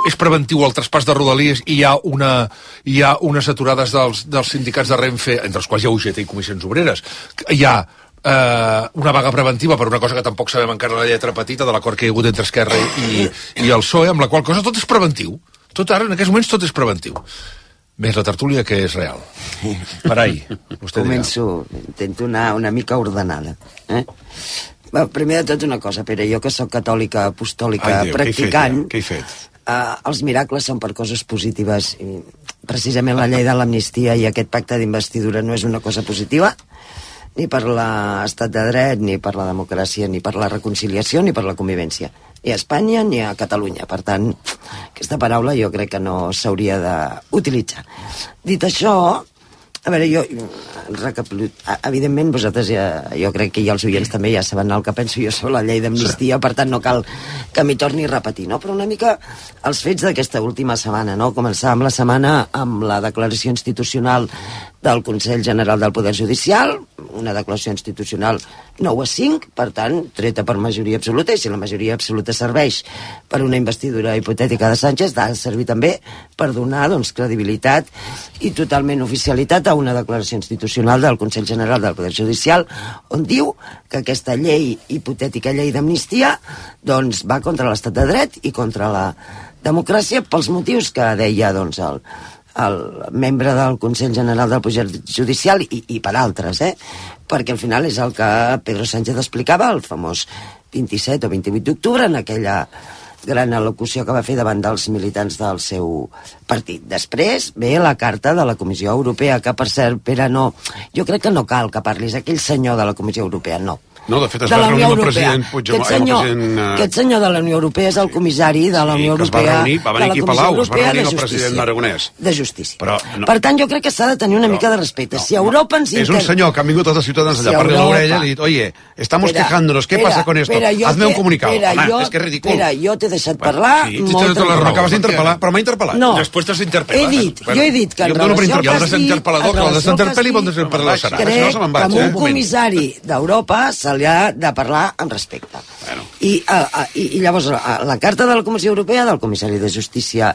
És preventiu el traspàs de Rodalies i hi ha unes aturades dels sindicats de Renfe, entre els quals hi ha UGT i Comissions Obreres. Hi ha una vaga preventiva per una cosa que tampoc sabem encara la lletra petita de l'acord que hi ha hagut entre Esquerra i el PSOE, amb la qual cosa tot és preventiu. Tot ara, en aquests moments, tot és preventiu. Més la tertúlia, que és real. Parai, vostè Començo, intento anar una mica ordenada. Primer de tot una cosa, Pere, jo que sóc catòlica, apostòlica, practicant... Què he fet? Els miracles són per coses positives. I precisament la llei de l'amnistia i aquest pacte d'investidura no és una cosa positiva, ni per l'estat de dret, ni per la democràcia, ni per la reconciliació, ni per la convivència. Ni a Espanya ni a Catalunya. Per tant, aquesta paraula jo crec que no s'hauria d'utilitzar. Dit això, a veure, jo evidentment vosaltres jo crec que els oients també ja saben el que penso jo sobre la llei d'amnistia, per tant no cal que m'hi torni a repetir, no? Però una mica els fets d'aquesta última setmana, no? Començàvem la setmana amb la declaració institucional del Consell General del Poder Judicial, una declaració institucional 9-5, per tant, treta per majoria absoluta, i si la majoria absoluta serveix per una investidura hipotètica de Sánchez, ha de servir també per donar, doncs, credibilitat i totalment oficialitat a una declaració institucional del Consell General del Poder Judicial, on diu que aquesta llei, hipotètica llei d'amnistia, doncs, va contra l'estat de dret i contra la democràcia pels motius que deia, doncs, el membre del Consell General del Poder Judicial i per altres, perquè al final és el que Pedro Sánchez explicava el famós 27 o 28 d'octubre en aquella gran al·locució que va fer davant dels militants del seu partit. Després ve la carta de la Comissió Europea, que per cert, Pere, no, jo crec que no cal que parlis aquell senyor de la Comissió Europea, no. No, de fet es va reunir amb el president Puigdemont. Aquest senyor de la Unió Europea és el comissari de la Unió Europea, va venir aquí a Palau, es va reunir amb el president Aragonès. De Justícia. Per tant, jo crec que s'ha de tenir una mica de respecte. Si Europa ens... És un senyor que han vingut tots els ciutadans allà, parli l'orella i li dit, oye, estamos quejándonos, ¿qué pasa con esto? Hazme un comunicado. Home, és que és ridícul. Espera, jo t'he deixat parlar molt tranquil. Acabes d'interpel·lar, però m'ha interpel·lat. No, després t'has d'interpel·lar. jo he dit que en relació al cas crec que amb un comissari d'Europa se li ha de parlar amb respecte. I llavors la carta de la Comissió Europea, del comissari de Justícia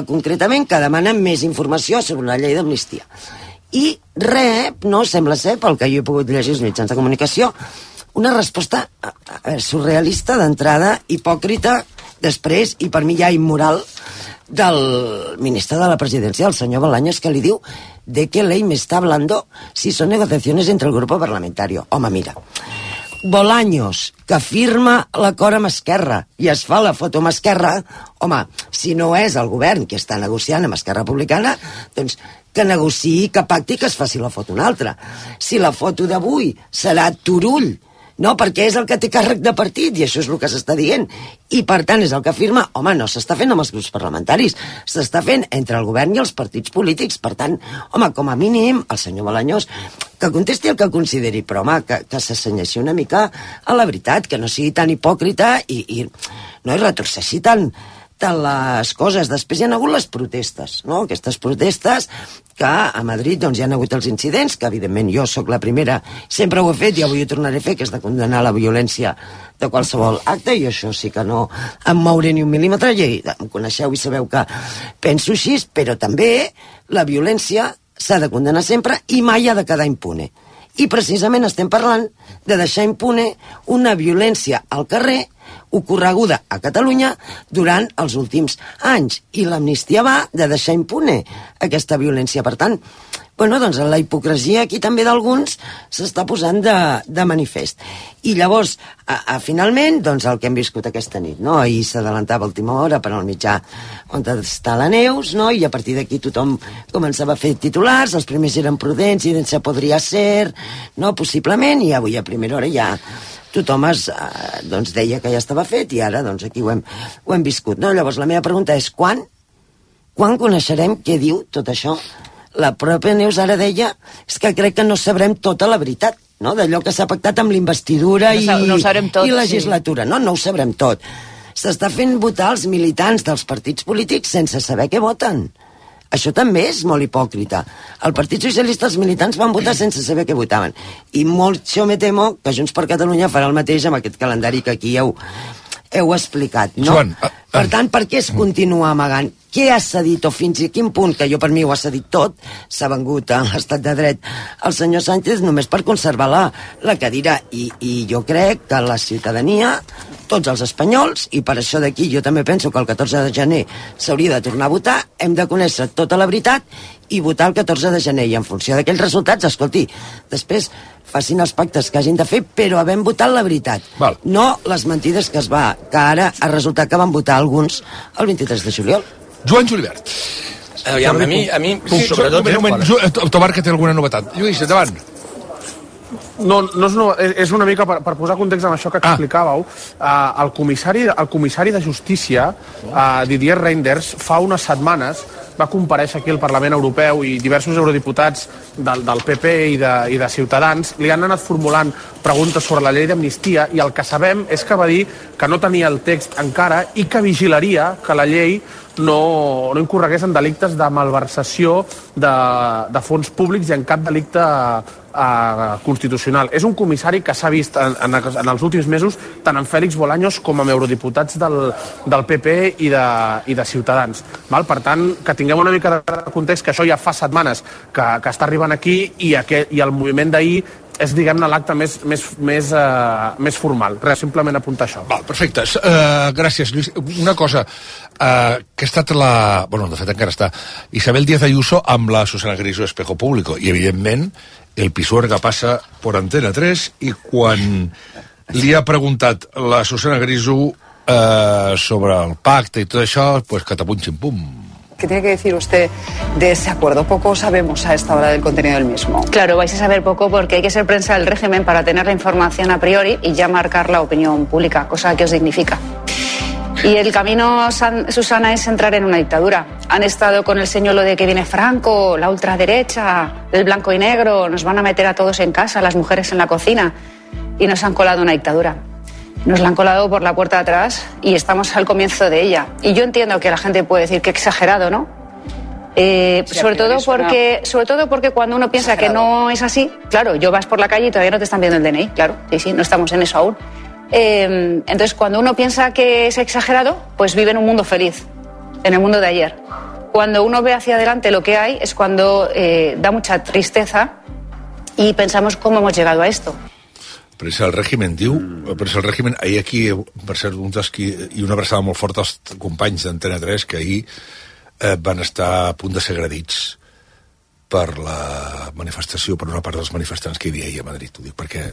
concretament, que demana més informació sobre una llei d'amnistia. I rep, no sembla ser, pel que jo he pogut llegir als mitjans de comunicació, una resposta surrealista d'entrada, hipòcrita, després, i per mi ja immoral, del ministre de la Presidència, el senyor Bolaños, que li diu de qué ley me está hablando si son negociaciones entre el grupo parlamentario. Home, mira, Bolaños, que firma l'acord amb Esquerra i es fa la foto amb Esquerra, home, si no és el govern que està negociant amb Esquerra Republicana, doncs que negociï, que pacti, que es faci la foto una altra. Si la foto d'avui serà Turull, no, perquè és el que té càrrec de partit, i això és el que s'està dient, i per tant és el que afirma, home, no s'està fent amb els grups parlamentaris, s'està fent entre el govern i els partits polítics. Per tant, home, com a mínim, el senyor Bolaños, que contesti el que consideri, però home, que s'assenyeixi una mica a la veritat, que no sigui tan hipòcrita i no hi retrocessi tant les coses. Després hi ha hagut les protestes, no? Aquestes protestes que a Madrid doncs, hi ha hagut els incidents, que evidentment jo sóc la primera, sempre ho he fet i avui ho tornaré a fer, que és de condenar la violència de qualsevol acte, i això sí que no em mouré ni un mil·límetre, i em coneixeu i sabeu que penso així, però també la violència s'ha de condenar sempre i mai ha de quedar impune. I precisament estem parlant de deixar impune una violència al carrer ocorreguda a Catalunya durant els últims anys. I l'amnistia va de deixar impune aquesta violència. Per tant, bueno, doncs la hipocresia aquí també d'alguns s'està posant de manifest. I llavors, finalment, doncs el que hem viscut aquesta nit, no? Ahir s'adelantava a última hora per al mitjà on està la Neus, no? I a partir d'aquí tothom començava a fer titulars, els primers eren prudents i se podria ser, no? Possiblement, i avui a primera hora ja tothom doncs deia que ja estava fet, i ara doncs aquí ho hem viscut, no? Llavors la meva pregunta és quan coneixerem què diu tot això? La pròpia Neus ara deia és que crec que no sabrem tota la veritat, no? D'allò que s'ha pactat amb l'investidura i legislatura, sí. No ho sabrem tot. S'està fent votar els militants dels partits polítics sense saber què voten. Això també és molt hipòcrita. El Partit Socialista, els militants van votar sense saber què votaven. I molt jo me temo que Junts per Catalunya farà el mateix amb aquest calendari que aquí heu explicat, no? Joan, per tant, per què es continua amagant? Què ha cedit o fins a quin punt, que jo per mi ho ha cedit tot, s'ha vengut a l'estat de dret el senyor Sánchez només per conservar la cadira, i jo crec que la ciutadania, tots els espanyols, i per això d'aquí jo també penso que el 14 de gener s'hauria de tornar a votar, hem de conèixer tota la veritat i votar el 14 de gener, i en funció d'aquells resultats, escolti, després facin els pactes que hagin de fer, però havent votat la veritat. Val. No les mentides que ara ha resultat que van votar alguns el 23 de juliol. Joan Julibert. A mi sobretot... Un moment, Tobar, que té alguna novetat. Lluís, endavant. No, és una mica per posar context en això que explicàveu. El comissari de Justícia, Didier Reynders, fa unes setmanes va comparèixer aquí al Parlament Europeu, i diversos eurodiputats del PP i de Ciutadans li han anat formulant preguntes sobre la llei d'amnistia, i el que sabem és que va dir que no tenia el text encara i que vigilaria que la llei no incorregués en delictes de malversació de fons públics i en cap delicte constitucional. És un comissari que s'ha vist en els últims mesos tant en Félix Bolaños com amb eurodiputats del PP i de Ciutadans. Per tant, que tinguem una mica de context, que això ja fa setmanes que està arribant aquí, i el moviment d'ahir és, diguem-ne, l'acte més formal. Res, simplement apuntar això. Val, perfecte. Gràcies, Lluís. Una cosa, que ha estat de fet encara està, Isabel Díaz Ayuso amb la Susana Griso Espejo Público, i evidentment el Pisuerga passa por Antena 3, i quan li ha preguntat la Susana Griso sobre el pacte i tot això, pues catapum ximpum. ¿Qué tiene que decir usted de ese acuerdo? Poco sabemos a esta hora del contenido del mismo. Claro, vais a saber poco porque hay que ser prensa del régimen para tener la información a priori y ya marcar la opinión pública, cosa que os dignifica. Y el camino, Susana, es entrar en una dictadura. Han estado con el señuelo de que viene Franco, la ultraderecha, el blanco y negro, nos van a meter a todos en casa, las mujeres en la cocina, y nos han colado una dictadura. Nos la han colado por la puerta de atrás y estamos al comienzo de ella. Y yo entiendo que la gente puede decir que exagerado, ¿no? Sobre todo porque cuando uno piensa que no es así, claro, yo vas por la calle y todavía no te están viendo el DNI, claro, sí, no estamos en eso aún. Entonces, cuando uno piensa que es exagerado, pues vive en un mundo feliz, en el mundo de ayer. Cuando uno ve hacia adelante lo que hay, es cuando da mucha tristeza y pensamos cómo hemos llegado a esto. Pressa el règim diu, pressa el règim, ahir aquí, per cert, i una abraçada molt forta als companys d'Antena 3 que ahir van estar a punt de ser agredits per la manifestació, per una part dels manifestants que hi havia ahir a Madrid. Ho dic perquè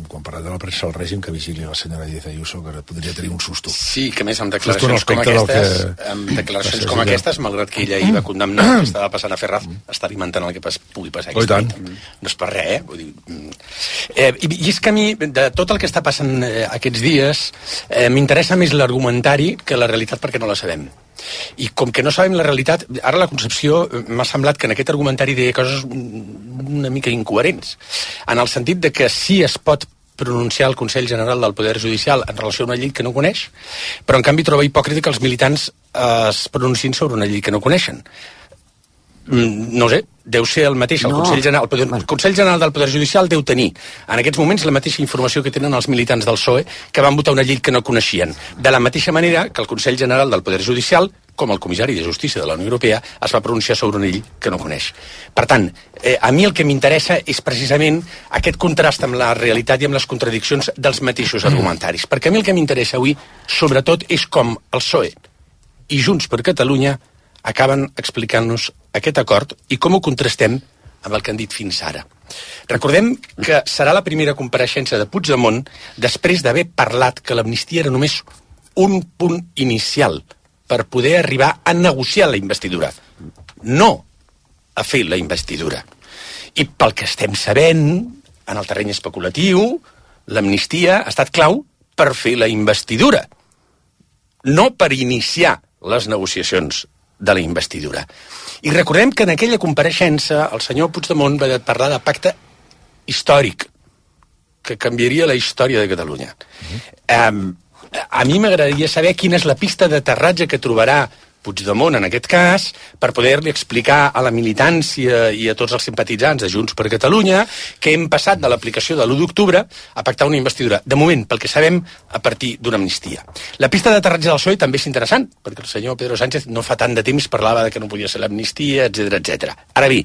quan parlem de la premsa del règim, que vigili la senyora Díaz Ayuso, que podria tenir un susto. Sí, que més amb declaracions com aquestes, malgrat que ella hi va condemnar que estava passant a Ferraz, està alimentant el que pugui passar aquí. No és per res, Vull dir, i és que a mi, de tot el que està passant aquests dies, m'interessa més l'argumentari que la realitat, perquè no la sabem. I com que no sabem la realitat, ara la Concepció m'ha semblat que en aquest argumentari deia coses una mica incoherents, en el sentit de que sí es pot pronunciar el Consell General del Poder Judicial en relació a una llei que no coneix, però en canvi troba hipòcrita que els militants es pronunciïn sobre una llei que no coneixen. No sé, deu ser el mateix. El Consell General del Poder Judicial deu tenir en aquests moments la mateixa informació que tenen els militants del PSOE que van votar una llei que no coneixien. De la mateixa manera que el Consell General del Poder Judicial, com el comissari de Justícia de la Unió Europea, es va pronunciar sobre una llei que no coneix. Per tant, a mi el que m'interessa és precisament aquest contrast amb la realitat i amb les contradiccions dels mateixos argumentaris. Perquè a mi el que m'interessa avui, sobretot, és com el PSOE i Junts per Catalunya acaben explicant-nos aquest acord i com ho contrastem amb el que han dit fins ara. Recordem que serà la primera compareixença de Puigdemont després d'haver parlat que l'amnistia era només un punt inicial per poder arribar a negociar la investidura, no a fer la investidura. I pel que estem sabent, en el terreny especulatiu, l'amnistia ha estat clau per fer la investidura, no per iniciar les negociacions de la investidura. I recordem que en aquella compareixença el senyor Puigdemont va parlar de pacte històric que canviaria la història de Catalunya. A mi m'agradaria saber quina és la pista d'aterratge que trobarà Puigdemont en aquest cas, per poder-li explicar a la militància i a tots els simpatitzants de Junts per Catalunya que hem passat de l'aplicació de l'1 d'octubre a pactar una investidura, de moment, pel que sabem, a partir d'una amnistia. La pista d'aterratge del PSOE també és interessant, perquè el senyor Pedro Sánchez no fa tant de temps parlava de que no podia ser l'amnistia, etc. Ara bé,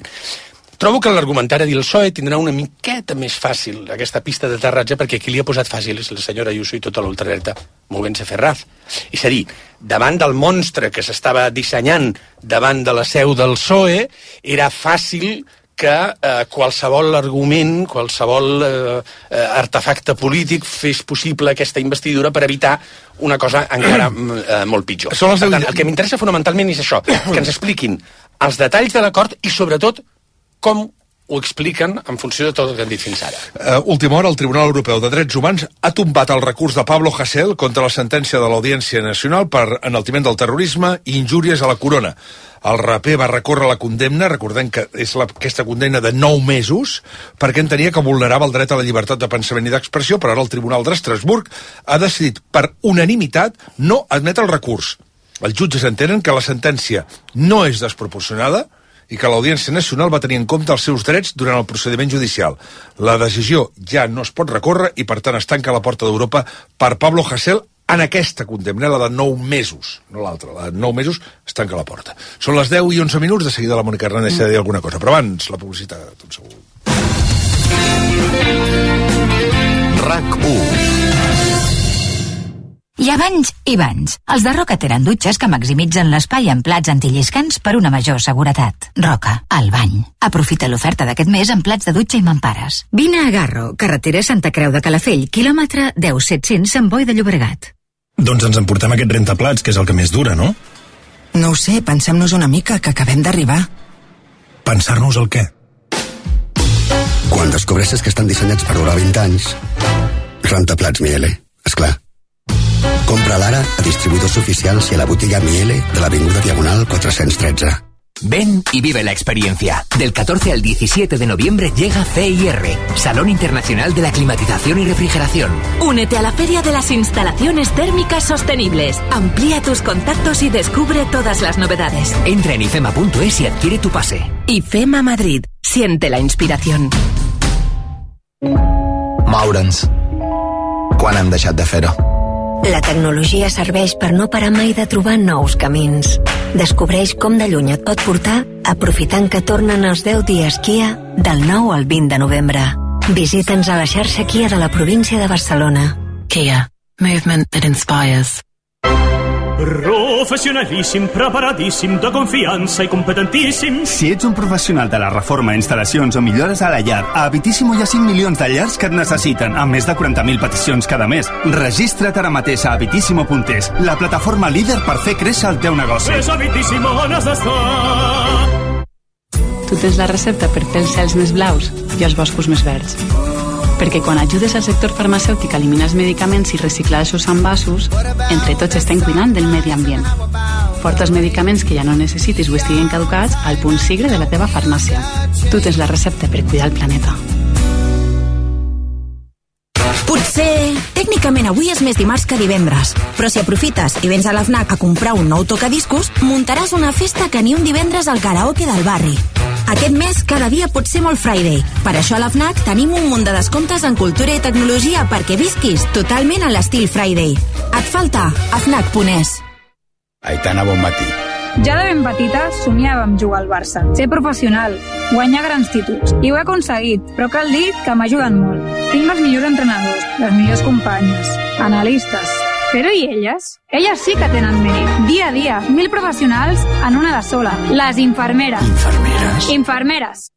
trobo que l'argumentari del PSOE tindrà una miqueta més fàcil aquesta pista d'aterratge, perquè qui li ha posat fàcil és la senyora Ayuso i tota l'ultraderta movent-se Ferraz. És a dir, davant del monstre que s'estava dissenyant davant de la seu del PSOE, era fàcil que qualsevol argument, qualsevol artefacte polític fes possible aquesta investidura per evitar una cosa encara molt pitjor. Per tant, el que m'interessa fonamentalment és això, que ens expliquin els detalls de l'acord i, sobretot, com ho expliquen en funció de tot el que han dit fins ara. Última hora, el Tribunal Europeu de Drets Humans ha tombat el recurs de Pablo Hasél contra la sentència de l'Audiència Nacional per enaltiment del terrorisme i injúries a la corona. El raper va recórrer la condemna, recordem que és aquesta condemna de 9 mesos, perquè entenia que vulnerava el dret a la llibertat de pensament i d'expressió, però ara el Tribunal d'Estrasburg ha decidit per unanimitat no admetre el recurs. Els jutges entenen que la sentència no és desproporcionada i que l'Audiència Nacional va tenir en compte els seus drets durant el procediment judicial. La decisió ja no es pot recórrer i, per tant, es tanca la porta d'Europa per Pablo Hasél en aquesta condemna, la de 9 mesos, no l'altra, la de 9 mesos es tanca la porta. Són les 10 i 11 minuts, de seguida la Mònica Hernández ha de dir alguna cosa, però abans la publicitat, tot segur. RAC1. Hi ha banys i banys. Els de Roca tenen dutxes que maximitzen l'espai en plats antilliscants per una major seguretat. Roca, el bany. Aprofita l'oferta d'aquest mes en plats de dutxa i mampares. Vine a Garro, carretera Santa Creu de Calafell, quilòmetre 10.700 Sant Boi de Llobregat. Doncs ens emportem aquest rentaplats, que és el que més dura, no? No ho sé, pensem-nos una mica, que acabem d'arribar. Pensar-nos el què? Quan descobreixes que estan dissenyats per durar 20 anys, rentaplats Miele, esclar. Compra l'ara a distribuïdors oficials y a la botiga Miele de l'Avinguda Diagonal 413. Ven y vive la experiencia. Del 14 al 17 de noviembre llega CIR, Salón Internacional de la Climatización y Refrigeración. Únete a la Feria de las Instalaciones Térmicas Sostenibles. Amplía tus contactos y descubre todas las novedades. Entra en ifema.es y adquiere tu pase. IFEMA Madrid. Siente la inspiración. Moure'ns. Quan hem deixat de fer-ho? La tecnologia serveix per no parar mai de trobar nous camins. Descobreix com de lluny et pot portar aprofitant que tornen els 10 dies Kia del 9 al 20 de novembre. Visita'ns a la xarxa Kia de la província de Barcelona. Kia. Movement that inspires. Professionalíssim, preparadíssim, de confiança i competentíssim. Si ets un professional de la reforma, instal·lacions o millores a la llar, a Habitíssimo hi ha 5 milions de llars que et necessiten, amb més de 40.000 peticions cada mes. Registra't ara mateix a habitíssimo.es, la plataforma líder per fer créixer el teu negoci. És Habitíssimo on has d'estar. Tu tens la recepta per fer els cels més blaus i els boscos més verds. Perquè quan ajudes al sector farmacèutic a eliminar els medicaments i reciclar els seus envasos, entre tots estem cuidant del medi ambient. Porta els medicaments que ja no necessitis o estiguin caducats al punt sigre de la teva farmàcia. Tu tens la recepta per cuidar el planeta. Potser, tècnicament avui és més dimarts que divendres, però si aprofites i vens a la FNAC a comprar un nou tocadiscos, muntaràs una festa que ni un divendres al karaoke del barri. Aquest mes cada dia pot ser molt Friday. Per això a la FNAC tenim un munt de descomptes en cultura i tecnologia perquè visquis totalment a l'estil Friday. Et falta? A FNAC.es. Aitana, bon matí. Ja de ben petita somiava amb jugar al Barça, ser professional, guanyar grans títols. I ho he aconseguit, però cal dir que m'ajuden molt. Tinc els millors entrenadors, les millors companyes, analistes. Però i elles? Elles sí que tenen mèrit. Dia a dia, 1.000 professionals en una de sola. Les infermeres. Infermeres? Infermeres.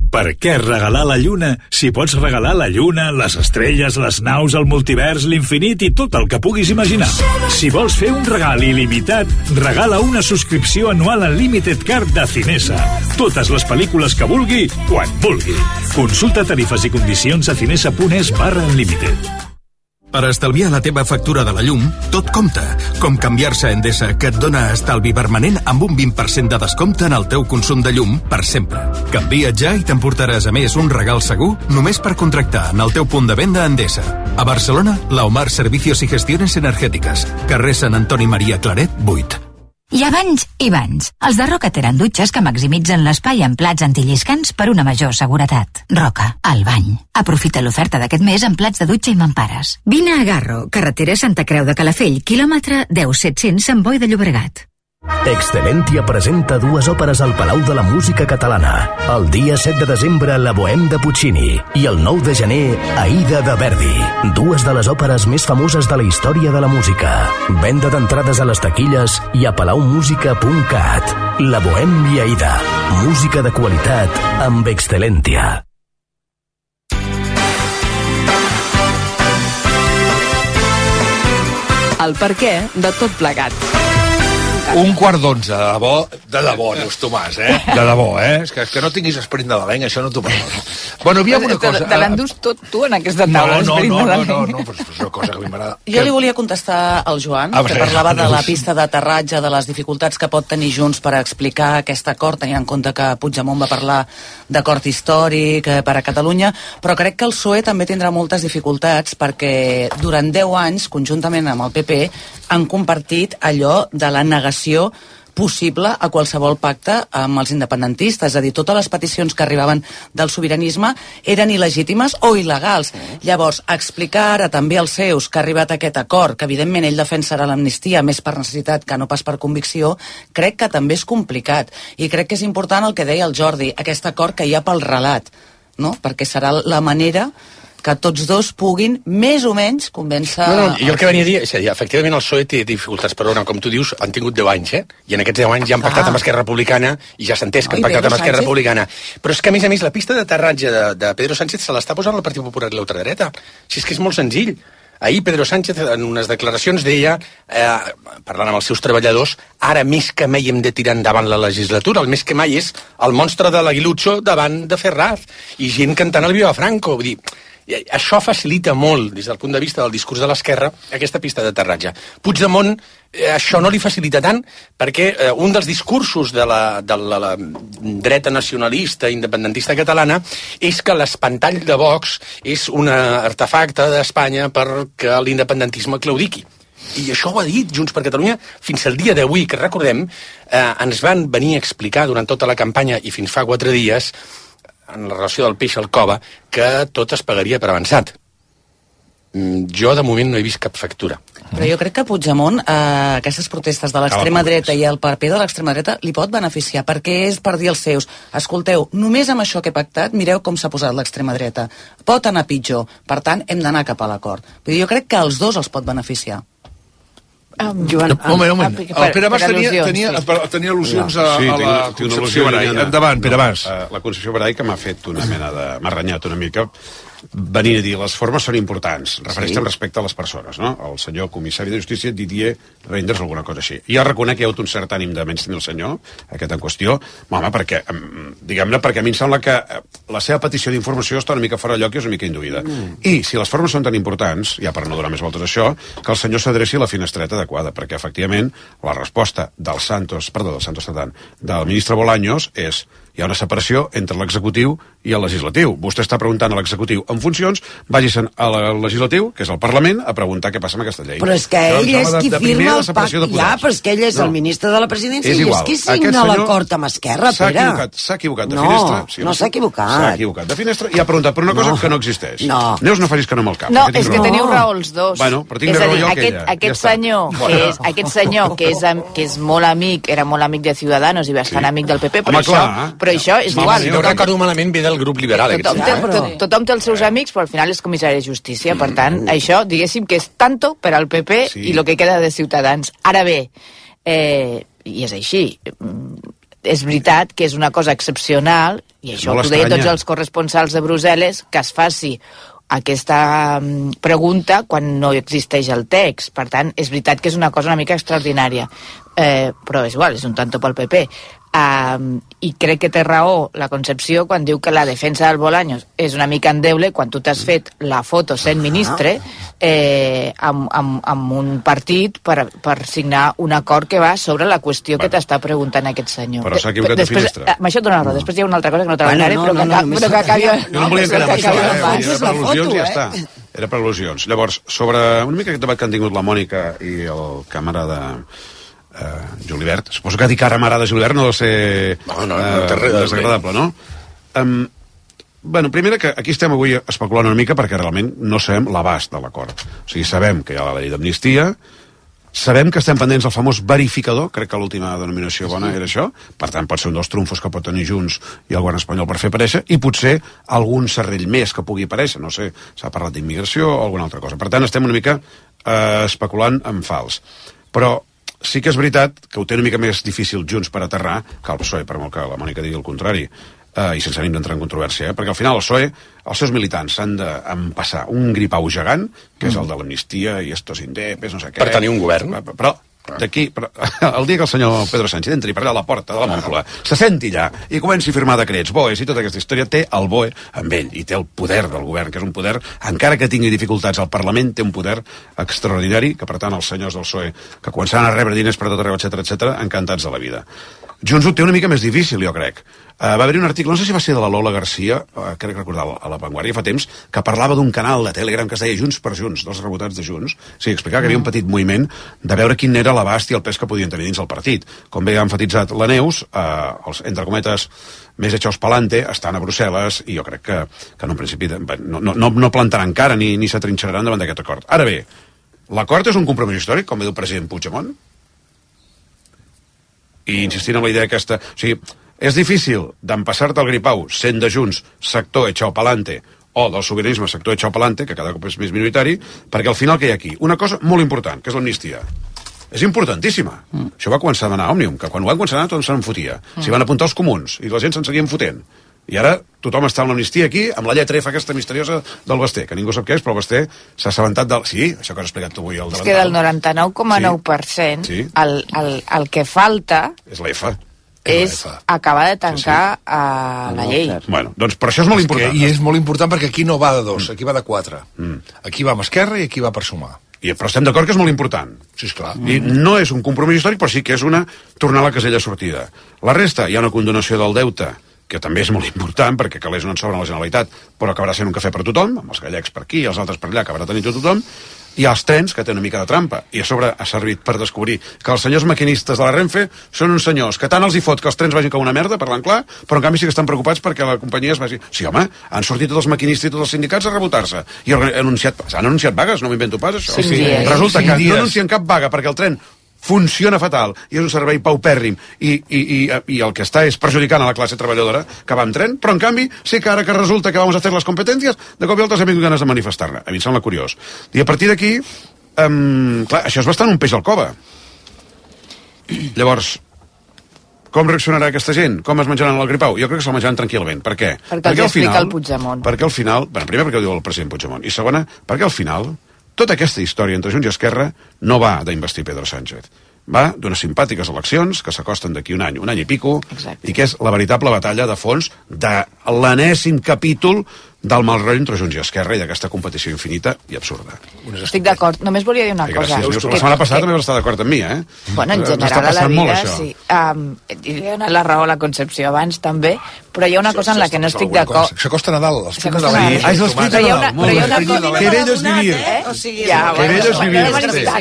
Per què regalar la lluna si pots regalar la lluna, les estrelles, les naus, el multivers, l'infinit i tot el que puguis imaginar? Si vols fer un regal il·limitat, regala una subscripció anual en Limited Card de Cinesa. Totes les pel·lícules que vulgui, quan vulgui. Consulta tarifes i condicions a cinesa.es/unlimited. Per estalviar la teva factura de la llum, tot compta, com canviar-se a Endesa, que et dona estalvi permanent amb un 20% de descompte en el teu consum de llum per sempre. Canvia't ja i t'emportaràs a més un regal segur només per contractar en el teu punt de venda Endesa. A Barcelona, la Omar Servicios y Gestiones Energéticas, carrer Sant Antoni Maria Claret, 8. Hi ha banys i banys. Els de Roca tenen dutxes que maximitzen l'espai en plats antilliscants per una major seguretat. Roca, el bany. Aprofita l'oferta d'aquest mes en plats de dutxa i mampares. Vine a Garro, carretera Santa Creu de Calafell, quilòmetre 10-700 Sant Boi de Llobregat. Excelentia presenta 2 òperes al Palau de la Música Catalana. El dia 7 de desembre, La Bohème de Puccini, i el 9 de gener, Aida de Verdi. 2 de les òperes més famoses de la història de la música. Venda d'entrades a les taquilles i a palaumusica.cat. La Bohème i Aida. Música de qualitat amb Excelentia. El perquè de tot plegat. 11:45, de debò, Neus Tomàs, de debò, és que no tinguis esperit nadalenc, això no t'ho perdono. Bueno, havia una cosa... Te l'endús tot tu en aquesta taula, esperit nadalenc. No, però és una cosa que a mi m'agrada. Jo li volia contestar al Joan, que parlava de la pista d'aterratge, de les dificultats que pot tenir Junts per explicar aquest acord, tenint en compte que Puigdemont va parlar d'acord històric per a Catalunya, però crec que el PSOE també tindrà moltes dificultats perquè durant 10 anys, conjuntament amb el PP, han compartit allò de la negació possible a qualsevol pacte amb els independentistes. És a dir, totes les peticions que arribaven del sobiranisme eren il·legítimes o il·legals. Llavors, explicar ara també als seus que ha arribat aquest acord, que evidentment ell defensarà l'amnistia més per necessitat que no pas per convicció, crec que també és complicat. I crec que és important el que deia el Jordi, aquest acord que hi ha pel relat, no? Perquè serà la manera que tots dos puguin més o menys convèncer... No, jo el que venia a dir, és a dir, efectivament el PSOE té dificultats, però com tu dius, han tingut 10 anys, i en aquests 10 anys ja han pactat amb Esquerra Republicana, i ja s'ha entès que han pactat amb Esquerra Republicana. Però és que, a més, la pista d'aterratge de Pedro Sánchez se l'està posant el Partit Popular i l'ultradreta. Si és que és molt senzill. Ahir Pedro Sánchez, en unes declaracions, deia, parlant amb els seus treballadors, ara més que mai hem de tirar endavant la legislatura, el més que mai és el monstre de l'Aguilucho davant de Ferraz, i gent cantant el Viva Franco. Vull dir, això facilita molt, des del punt de vista del discurs de l'esquerra, aquesta pista d'aterratge. Puigdemont, això no li facilita tant, perquè un dels discursos de la dreta nacionalista, independentista catalana, és que l'espantall de Vox és un artefacte d'Espanya perquè l'independentisme claudiqui. I això ho ha dit Junts per Catalunya fins al dia d'avui, que recordem, ens van venir a explicar durant tota la campanya i fins fa 4 dies, en la relació del peix al cova, que tot es pagaria per avançat. Jo, de moment, no he vist cap factura. Però jo crec que Puigdemont, aquestes protestes de l'extrema dreta i el paper de l'extrema dreta li pot beneficiar, perquè és per dir als seus, escolteu, només amb això que he pactat, mireu com s'ha posat l'extrema dreta. Pot anar pitjor, per tant, hem d'anar cap a l'acord. Jo crec que els dos els pot beneficiar. Joan, un moment. El Pere Mas tenia al·lusions a la Concepció Barai. Endavant, Pere Mas. La Concepció Barai, que m'ha fet una mena de... m'ha renyat una mica, venir a dir, les formes són importants, refereix-te respecte a les persones, no? El senyor comissari de Justícia, Didier Reinders, alguna cosa així. Jo reconec que hi ha hagut un cert ànim de menys tenir el senyor, aquest en qüestió, home, perquè, diguem-ne, perquè a mi em sembla que la seva petició d'informació està una mica fora de lloc i és una mica induïda. I si les formes són tan importants, ja per no donar més voltes a això, que el senyor s'adreci a la finestreta adequada, perquè efectivament la resposta del ministre Bolaños és: hi ha una separació entre l'executiu i el legislatiu. Vostè està preguntant a l'executiu en funcions, vagi-se'n al legislatiu, que és el Parlament, a preguntar què passa amb aquesta llei. Però és que ell és qui firma el pacte. Ja, però és que ell és el ministre de la presidència i és qui signa l'acord amb Esquerra, Pere. S'ha equivocat de finestra. No s'ha equivocat. S'ha equivocat de finestra i ha preguntat per una cosa que no existeix. Neus, no facis que no amb el cap. No, és que teniu raó els dos. Bueno, però tinc raó jo que ella. Aquest senyor, que és molt amic, era molt amic de Ciudadanos i bastant amic del PP, però això és igual. Si no recordo malament, ve del grup liberal. Tothom té els seus amics, però al final és comissari de Justícia. Per tant, això, diguéssim que és tanto per al PP i el que queda de Ciutadans. Ara bé, i és així, és veritat que és una cosa excepcional, i això ho deien tots els corresponsals de Brussel·les, que es faci aquesta pregunta quan no existeix el text. Per tant, és veritat que és una cosa una mica extraordinària, però és igual, és un tanto pel PP. I crec que té raó la Concepció quan diu que la defensa del Bolaños és una mica endeble quan tu t'has fet la foto sent ministre amb un partit per signar un acord que va sobre la qüestió que t'està preguntant aquest senyor. Però s'ha equivocat de finestra. Amb això et dona raó. Després hi ha una altra cosa que no treballaré, però que acabi... No em volia quedar amb això, era per al·lusions i ja està. Era per al·lusions. Llavors, sobre una mica aquest debat que han tingut la Mònica i el camarada Julibert. Suposo que dir que ara m'agrada Julibert no deu ser desagradable, no? Bueno, primera que aquí estem avui especulant una mica perquè realment no sabem l'abast de l'acord. O sigui, sabem que hi ha la llei d'amnistia, sabem que estem pendents del famós verificador, crec que l'última denominació bona era això, per tant pot ser un dels trumfos que pot tenir Junts i el govern espanyol per fer aparèixer, i potser algun serrell més que pugui aparèixer, no sé, s'ha parlat d'immigració o alguna altra cosa. Per tant, estem una mica especulant en fals. Però sí que és veritat que ho té una mica més difícil Junts per aterrar que el PSOE, per molt que la Mònica digui el contrari, i sense ànim d'entrar en controvèrsia, perquè al final el PSOE, els seus militants s'han d'empassar un gripau gegant, que és el de l'amnistia i estos indepes, no sé què. Per tenir un govern. Però d'aquí, el dia que el senyor Pedro Sánchez entri per allà a la porta de la Moncloa, se senti allà i comenci a firmar decrets, BOEs i tota aquesta història, té el BOE amb ell i té el poder del govern, que és un poder, encara que tingui dificultats al Parlament, té un poder extraordinari, que per tant els senyors del PSOE, que començaran a rebre diners per tot arreu, etc, encantats de la vida. Junts ho té una mica més difícil, jo crec. Va haver-hi un article, no sé si va ser de la Lola Garcia, crec recordar a La Vanguardia fa temps, que parlava d'un canal de Telegram que es deia Junts per Junts, dels rebotats de Junts. Sí, explicava que hi havia un petit moviment de veure quin era l'abast i el pes que podien tenir dins el partit. Com bé ha enfatitzat la Neus, els, entre cometes, més echos pa'lante estan a Brussel·les i jo crec que en un principi no plantaran cara ni s'atrinxeraran davant d'aquest acord. Ara bé, l'acord és un compromís històric, com diu el president Puigdemont? I insistint en la idea aquesta... O sigui, és difícil d'empassar-te el gripau sent de Junts sector echao pa'lante o del sobiranisme sector echao pa'lante, que cada cop és més minoritari, perquè al final que hi ha aquí? Una cosa molt important, que és l'amnistia. És importantíssima. Això va començar a anar a Òmnium, que quan ho van començar a anar tothom se'n fotia. S'hi van apuntar els comuns i la gent se'n seguien fotent. I ara tothom està amb l'amnistia aquí, amb la lletra F aquesta misteriosa del Basté, que ningú sap què és, però el Basté s'ha assabentat del... Sí, això que has explicat tu avui al davantal. És que del 99,9% sí. el que falta... És la F. És acabar de tancar la llei. Bueno, doncs per això és molt important. I és molt important perquè aquí no va de 2, aquí va de 4. Aquí va amb Esquerra i aquí va per sumar. Però estem d'acord que és molt important. Sí, esclar. I no és un compromís històric, però sí que és una tornar a la casella sortida. La resta, hi ha una condonació del deute, que també és molt important, perquè calés no en sobra a la Generalitat, però acabarà sent un cafè per tothom, amb els gallecs per aquí i els altres per allà, acabarà tenint tothom. Hi ha els trens, que tenen una mica de trampa, i a sobre ha servit per descobrir que els senyors maquinistes de la Renfe són uns senyors que tant els hi fot que els trens vagin com una merda, parlant clar, però en canvi sí que estan preocupats perquè la companyia es vagi... Sí, home, han sortit tots els maquinistes i tots els sindicats a rebotar-se, i han anunciat vagues, no m'invento pas, això. Sí. Resulta que no anuncien cap vaga perquè el tren funciona fatal i és un servei paupèrrim i el que està és perjudicant a la classe treballadora que va amb tren, però en canvi sí que ara que resulta que vamos a hacer les competències, de cop i altres hem tingut ganes de manifestar-ne. A mi em sembla curiós. I a partir d'aquí, clar, això és bastant un peix al cova. Llavors, com reaccionarà aquesta gent? Com es menjaran el gripau? Jo crec que se'l menjaran tranquil·lament. Per què? Perquè els explica el Puigdemont. Perquè al final, bueno, primer perquè ho diu el president Puigdemont, i segona, perquè al final tota aquesta història entre Junts i Esquerra no va d'investir Pedro Sánchez. Va d'unes simpàtiques eleccions que s'acosten d'aquí un any i pico, exacte, i que és la veritable batalla de fons de l'enèsim capítol del mal rotllo entre Junts i Esquerra i d'aquesta competició infinita i absurda. Estic d'acord. Només volia dir una cosa. Gràcies. La setmana passada també vas estar d'acord amb mi, eh? Bueno, en general a la vida, sí. Li he donat la raó a la Concepció abans, també, però hi ha una cosa en la que no estic d'acord. S'acosta Nadal, l'esprit de Nadal. És l'esprit de Nadal. Però hi ha una cosa... Que bello és vivir. Que bello és vivir.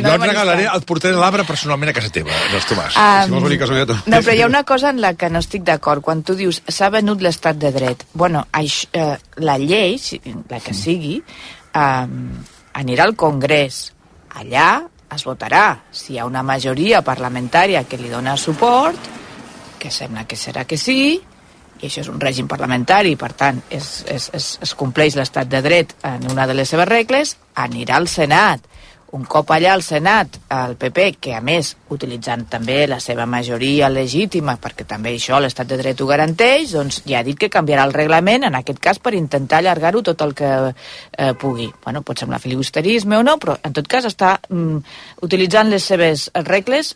Jo et regalaré, et portaré l'arbre personalment a casa teva, dels Tomàs. Si vols venir a casa meva. No, però hi ha una cosa en la que no estic d'acord. Quan tu dius, s'ha venut l'estat de dret. Bueno, la llei, la que sigui, anirà al Congrés. Allà es votarà. Si hi ha una majoria parlamentària que li dona suport, que sembla que serà que sí, i això és un règim parlamentari, per tant, es compleix l'estat de dret en una de les seves regles, anirà al Senat. Un cop allà al Senat, el PP, que a més, utilitzant també la seva majoria legítima, perquè també això l'estat de dret ho garanteix, doncs ja ha dit que canviarà el reglament, en aquest cas per intentar allargar-ho tot el que pugui. Bueno, pot semblar filibusterisme o no, però en tot cas està utilitzant les seves regles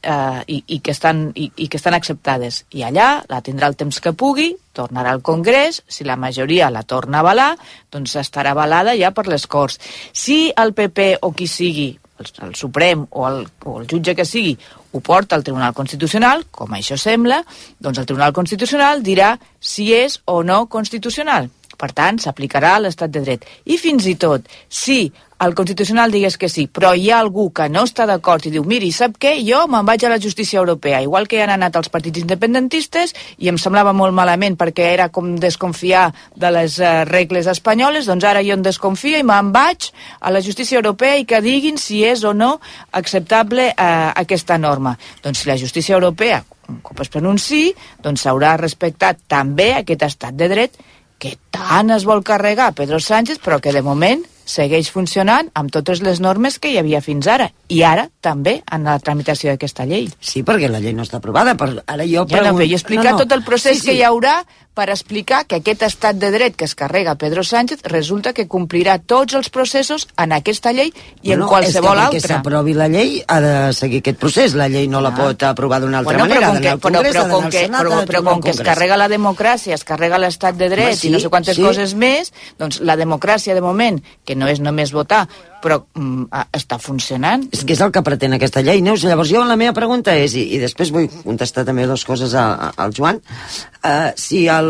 i que estan acceptades. I allà la tindrà el temps que pugui, tornarà al Congrés, si la majoria la torna a avalar, doncs estarà avalada ja per les Corts. Si el PP o qui sigui, el Suprem o el jutge que sigui, ho porta al Tribunal Constitucional, com això sembla, doncs el Tribunal Constitucional dirà si és o no constitucional. Per tant, s'aplicarà l'estat de dret. I fins i tot, si el Constitucional digués que sí, però hi ha algú que no està d'acord i diu, miri, sap què? Jo me'n vaig a la justícia europea, igual que hi han anat els partits independentistes, i em semblava molt malament perquè era com desconfiar de les regles espanyoles, doncs ara jo en desconfio i me'n vaig a la justícia europea i que diguin si és o no acceptable aquesta norma. Doncs si la justícia europea, un cop es pronunciï, doncs s'haurà respectat també aquest estat de dret que tant es vol carregar Pedro Sánchez, però que de moment segueix funcionant amb totes les normes que hi havia fins ara. I ara també en la tramitació d'aquesta llei. Sí, perquè la llei no està aprovada. Ara jo però he explicat tot el procés que hi haurà per explicar que aquest estat de dret que es carrega Pedro Sánchez resulta que complirà tots els processos en aquesta llei i en qualsevol altra. És que perquè s'aprovi la llei ha de seguir aquest procés. La llei no la pot aprovar d'una altra manera. Però com que es carrega la democràcia, es carrega l'estat de dret i no sé quantes coses més, doncs la democràcia de moment, que no és només votar, però està funcionant. És que és el que pretén aquesta llei, Neus. Llavors jo la meva pregunta és, i després vull contestar també dues coses al Joan, si el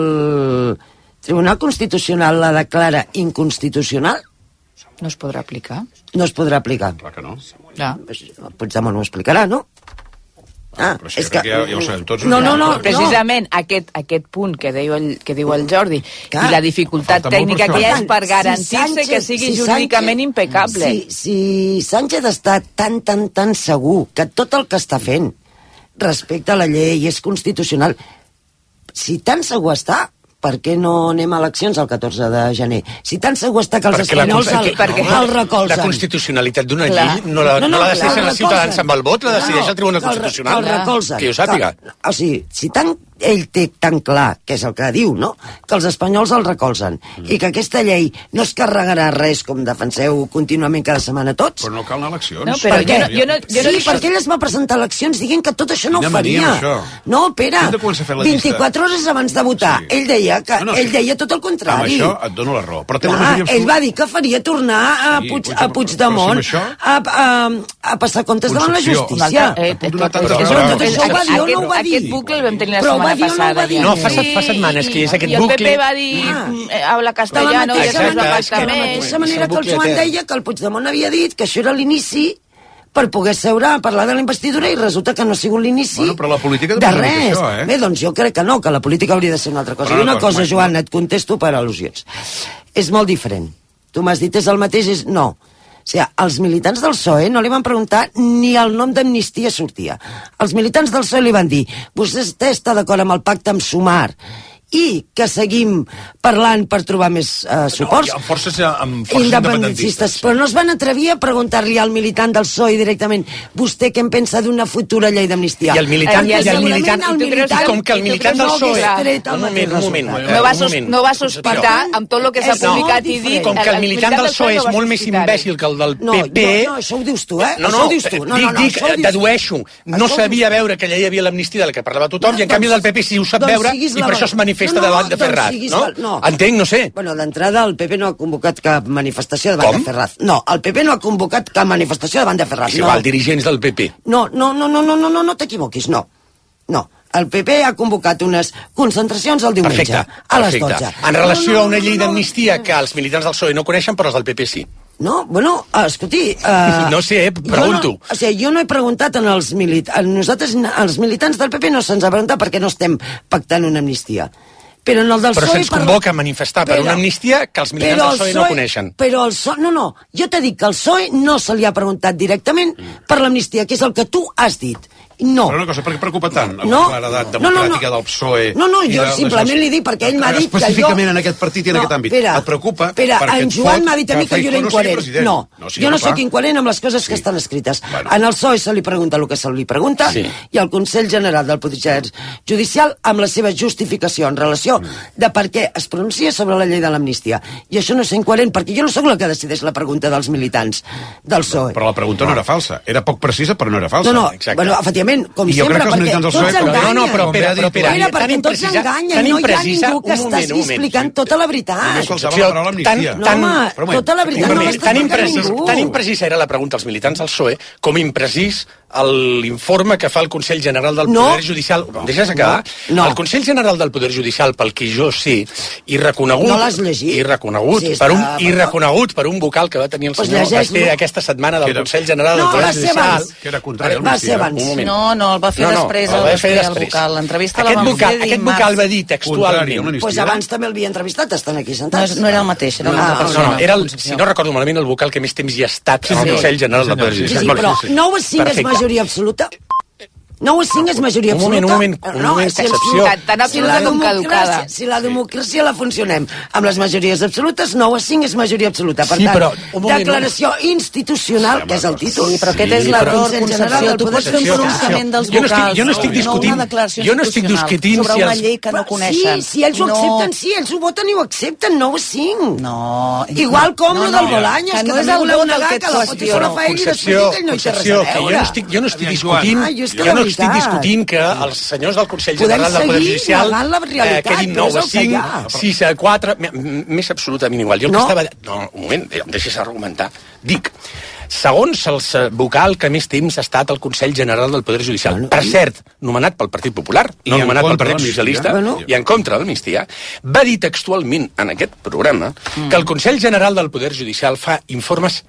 Tribunal Constitucional la declara inconstitucional, no es podrà aplicar. No es podrà aplicar. Clar que no. Puigdemont ho explicarà, no? Però sí, que ja ho sabem tots. No, precisament aquest punt que diu el Jordi i la dificultat tècnica que hi ha és per garantir-se que sigui jurídicament impecable. Si Sánchez està tan segur que tot el que està fent respecte a la llei és constitucional, si tan segur està, per què no anem a eleccions el 14 de gener? Si tan segur està que els espanyols el recolzen. La constitucionalitat d'una llei no la decideixen els ciutadans amb el vot, la decideix el Tribunal Constitucional. El recolzen. Que jo sàpiga. O sigui, si ell té tan clar, que és el que diu, no?, que els espanyols el recolzen i que aquesta llei no es carregarà res, com defenseu contínuament cada setmana tots. Però no cal anar a eleccions. No, però perquè ell es va presentar a eleccions dient que tot això no ho faria. No, Pere, 24 hores abans de votar, ell deia tot el contrari. Amb això et dono la raó. Ell va dir que faria tornar a Puigdemont a passar comptes davant la justícia. Aquest bucle el vam tenir la setmana passada. No, fa setmanes que és aquest bucle. I el PP va dir habla castellano i després va pactar més. De la mateixa manera que el Joan deia que el Puigdemont havia dit que això era l'inici per poder seure a parlar de la investidura i resulta que no ha sigut l'inici de res. Bé, doncs jo crec que no, que la política hauria de ser una altra cosa. I una cosa, Joan, et contesto per al·lusions. És molt diferent. Tu m'has dit és el mateix? No. O sigui, els militants del PSOE no li van preguntar ni el nom d'amnistia sortia. Els militants del PSOE li van dir vostè està d'acord amb el pacte amb Sumar i que seguim parlant per trobar més suports amb forces independentistes. Però no es van atrevir a preguntar-li al militant del PSOE directament vostè què en pensa d'una futura llei d'amnistia. I el militant com que el militant del PSOE un moment no va sospitar amb tot el que s'ha publicat i dit. Com que el militant del PSOE és molt més imbècil que el del PP. No, això ho dius tu, Dedueixo, no sabia veure que allà hi havia l'amnistia de la que parlava tothom i en canvi del PP sí ho sap veure i per això es manifesta davant de Ferraz, no? Entenc, no sé. Bueno, d'entrada el PP no ha convocat cap manifestació davant de Ferraz. No, el PP no ha convocat cap manifestació davant de Ferraz. Si val, dirigents del PP. No t'equivoquis, no. No, el PP ha convocat unes concentracions el diumenge, a les 12. En relació a una llei d'amnistia que els militants del PSOE no coneixen, però els del PP sí. No, bueno, escolti... No sé, pregunto. O sigui, jo no he preguntat als militants... Nosaltres, als militants del PP no se'ns ha preguntat perquè no estem pactant una amnistia. Però en el del PSOE... Però se'ns convoca a manifestar per una amnistia que els militants del PSOE no coneixen. Però el PSOE... No, jo t'he dit que al PSOE no se li ha preguntat directament per l'amnistia, que és el que tu has dit. No. Però una cosa, per què preocupa tant la claredat democràtica del PSOE? No, jo simplement li dic perquè ell m'ha dit que jo... Específicament en aquest partit i en aquest àmbit. Et preocupa perquè en Joan m'ha dit a mi que jo era incoherent. No, jo no sóc incoherent amb les coses que estan escrites. En el PSOE se li pregunta el que se li pregunta i el Consell General del Poder Judicial amb la seva justificació en relació de per què es pronuncia sobre la llei de l'amnistia. I això no és incoherent perquè jo no sóc la que decideix la pregunta dels militants del PSOE. Però la pregunta no era falsa. Era poc precisa però no era falsa. No, bueno, efectivament Evidentment, com sempre, perquè tots enganyen. No, però Pere, perquè tots enganyen, no hi ha ningú que estàs explicant tota la veritat. No, home, tota la veritat no l'està explicant ningú. Tan imprecisa era la pregunta als militants del PSOE com imprecís l'informe que fa el Consell General del Poder Judicial. Deixes acabar? No. El Consell General del Poder Judicial, pel que jo sé, i reconegut... No l'has llegit? I reconegut per un vocal que va tenir el senyor Basté aquesta setmana del Consell General del Poder Judicial... Que era contrari al migdia. No, el va fer després el vocal. L'entrevista la vam fer aquest vocal va dir textualment... Doncs abans també l'havia entrevistat, estan aquí sentats. No era el mateix, era una altra persona. Era, si no recordo malament, el vocal que més temps hi ha estat en el Consell General del Poder Judicial. Sí, però 9 a 5 és majoria absoluta. 9 a 5 és majoria absoluta. Un moment, excepció. Tan absoluta com caducada. Si la democràcia la funcionem amb les majories absolutes, 9 a 5 és majoria absoluta. Per tant, declaració institucional, que és el títol. Sí, però aquest és l'error, Concepció. Tu pots fer un pronunciament dels vocals. Jo no estic discutint sobre una llei que no coneixen. Sí, si ells ho accepten, sí, ells ho voten i ho accepten, 9 a 5. No. Igual com lo del Bolaños, que també voleu negar que la foto se la fa ell i després ell no hi té res a veure. Jo no estic discutint que els senyors del Consell General del Poder Judicial quedin 9 a 5, 6 a 4, més absolutament igual. Jo el que estava... No, un moment, em deixes argumentar. Dic, segons el vocal que més temps ha estat al Consell General del Poder Judicial, per cert, nomenat pel Partit Popular, no nomenat pel Partit Socialista, i en contra de l'amnistia, va dir textualment en aquest programa que el Consell General del Poder Judicial fa informes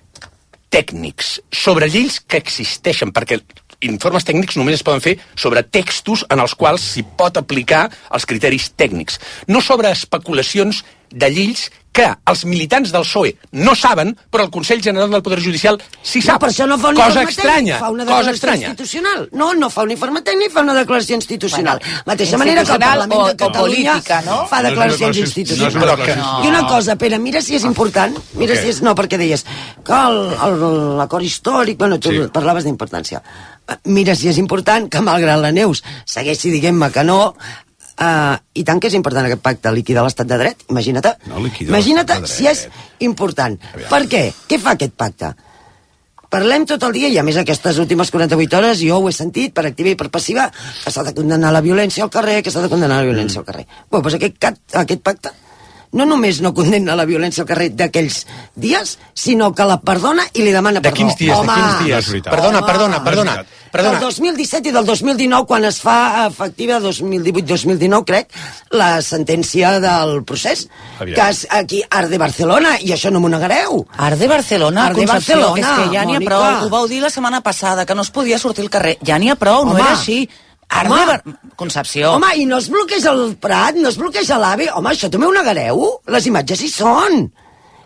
tècnics sobre lleis que existeixen, perquè informes tècnics només es poden fer sobre textos en els quals s'hi pot aplicar els criteris tècnics, no sobre especulacions de lleis que els militants del PSOE no saben, però el Consell General del Poder Judicial sí sap. Per això no fa un cosa informe estranya, tècnic, fa una declaració institucional. No fa un informe tècnic, fa una declaració institucional. Mateixa manera que el Parlament de Catalunya fa declaracions institucionals. I una cosa, Pere, mira si és important, mira si és... No, perquè deies que l'acord històric... Bueno, tu parlaves d'importància. Mira si és important que, malgrat la Neus segueixi dient-me que no, i tant que és important aquest pacte, liquidar l'estat de dret, imagina't si és important. Per què? Què fa aquest pacte? Parlem tot el dia, i a més aquestes últimes 48 hores jo ho he sentit per activa i per passiva, que s'ha de condenar la violència al carrer, doncs aquest pacte no només no condemna la violència al carrer d'aquells dies, sinó que la perdona i li demana perdó. De quins dies? Perdona. Del 2017 i del 2019, quan es fa efectiva, 2018-2019, crec, la sentència del procés, que és aquí, Arde Barcelona, i això no m'ho negareu. Arde Barcelona, Concepció, que és que ja n'hi ha prou. Ho vau dir la setmana passada, que no es podia sortir al carrer. Ja n'hi ha prou, no era així. Concepció. Home, i no es bloqueja el Prat, no es bloqueja l'AVE. Home, això també ho negareu? Les imatges hi són.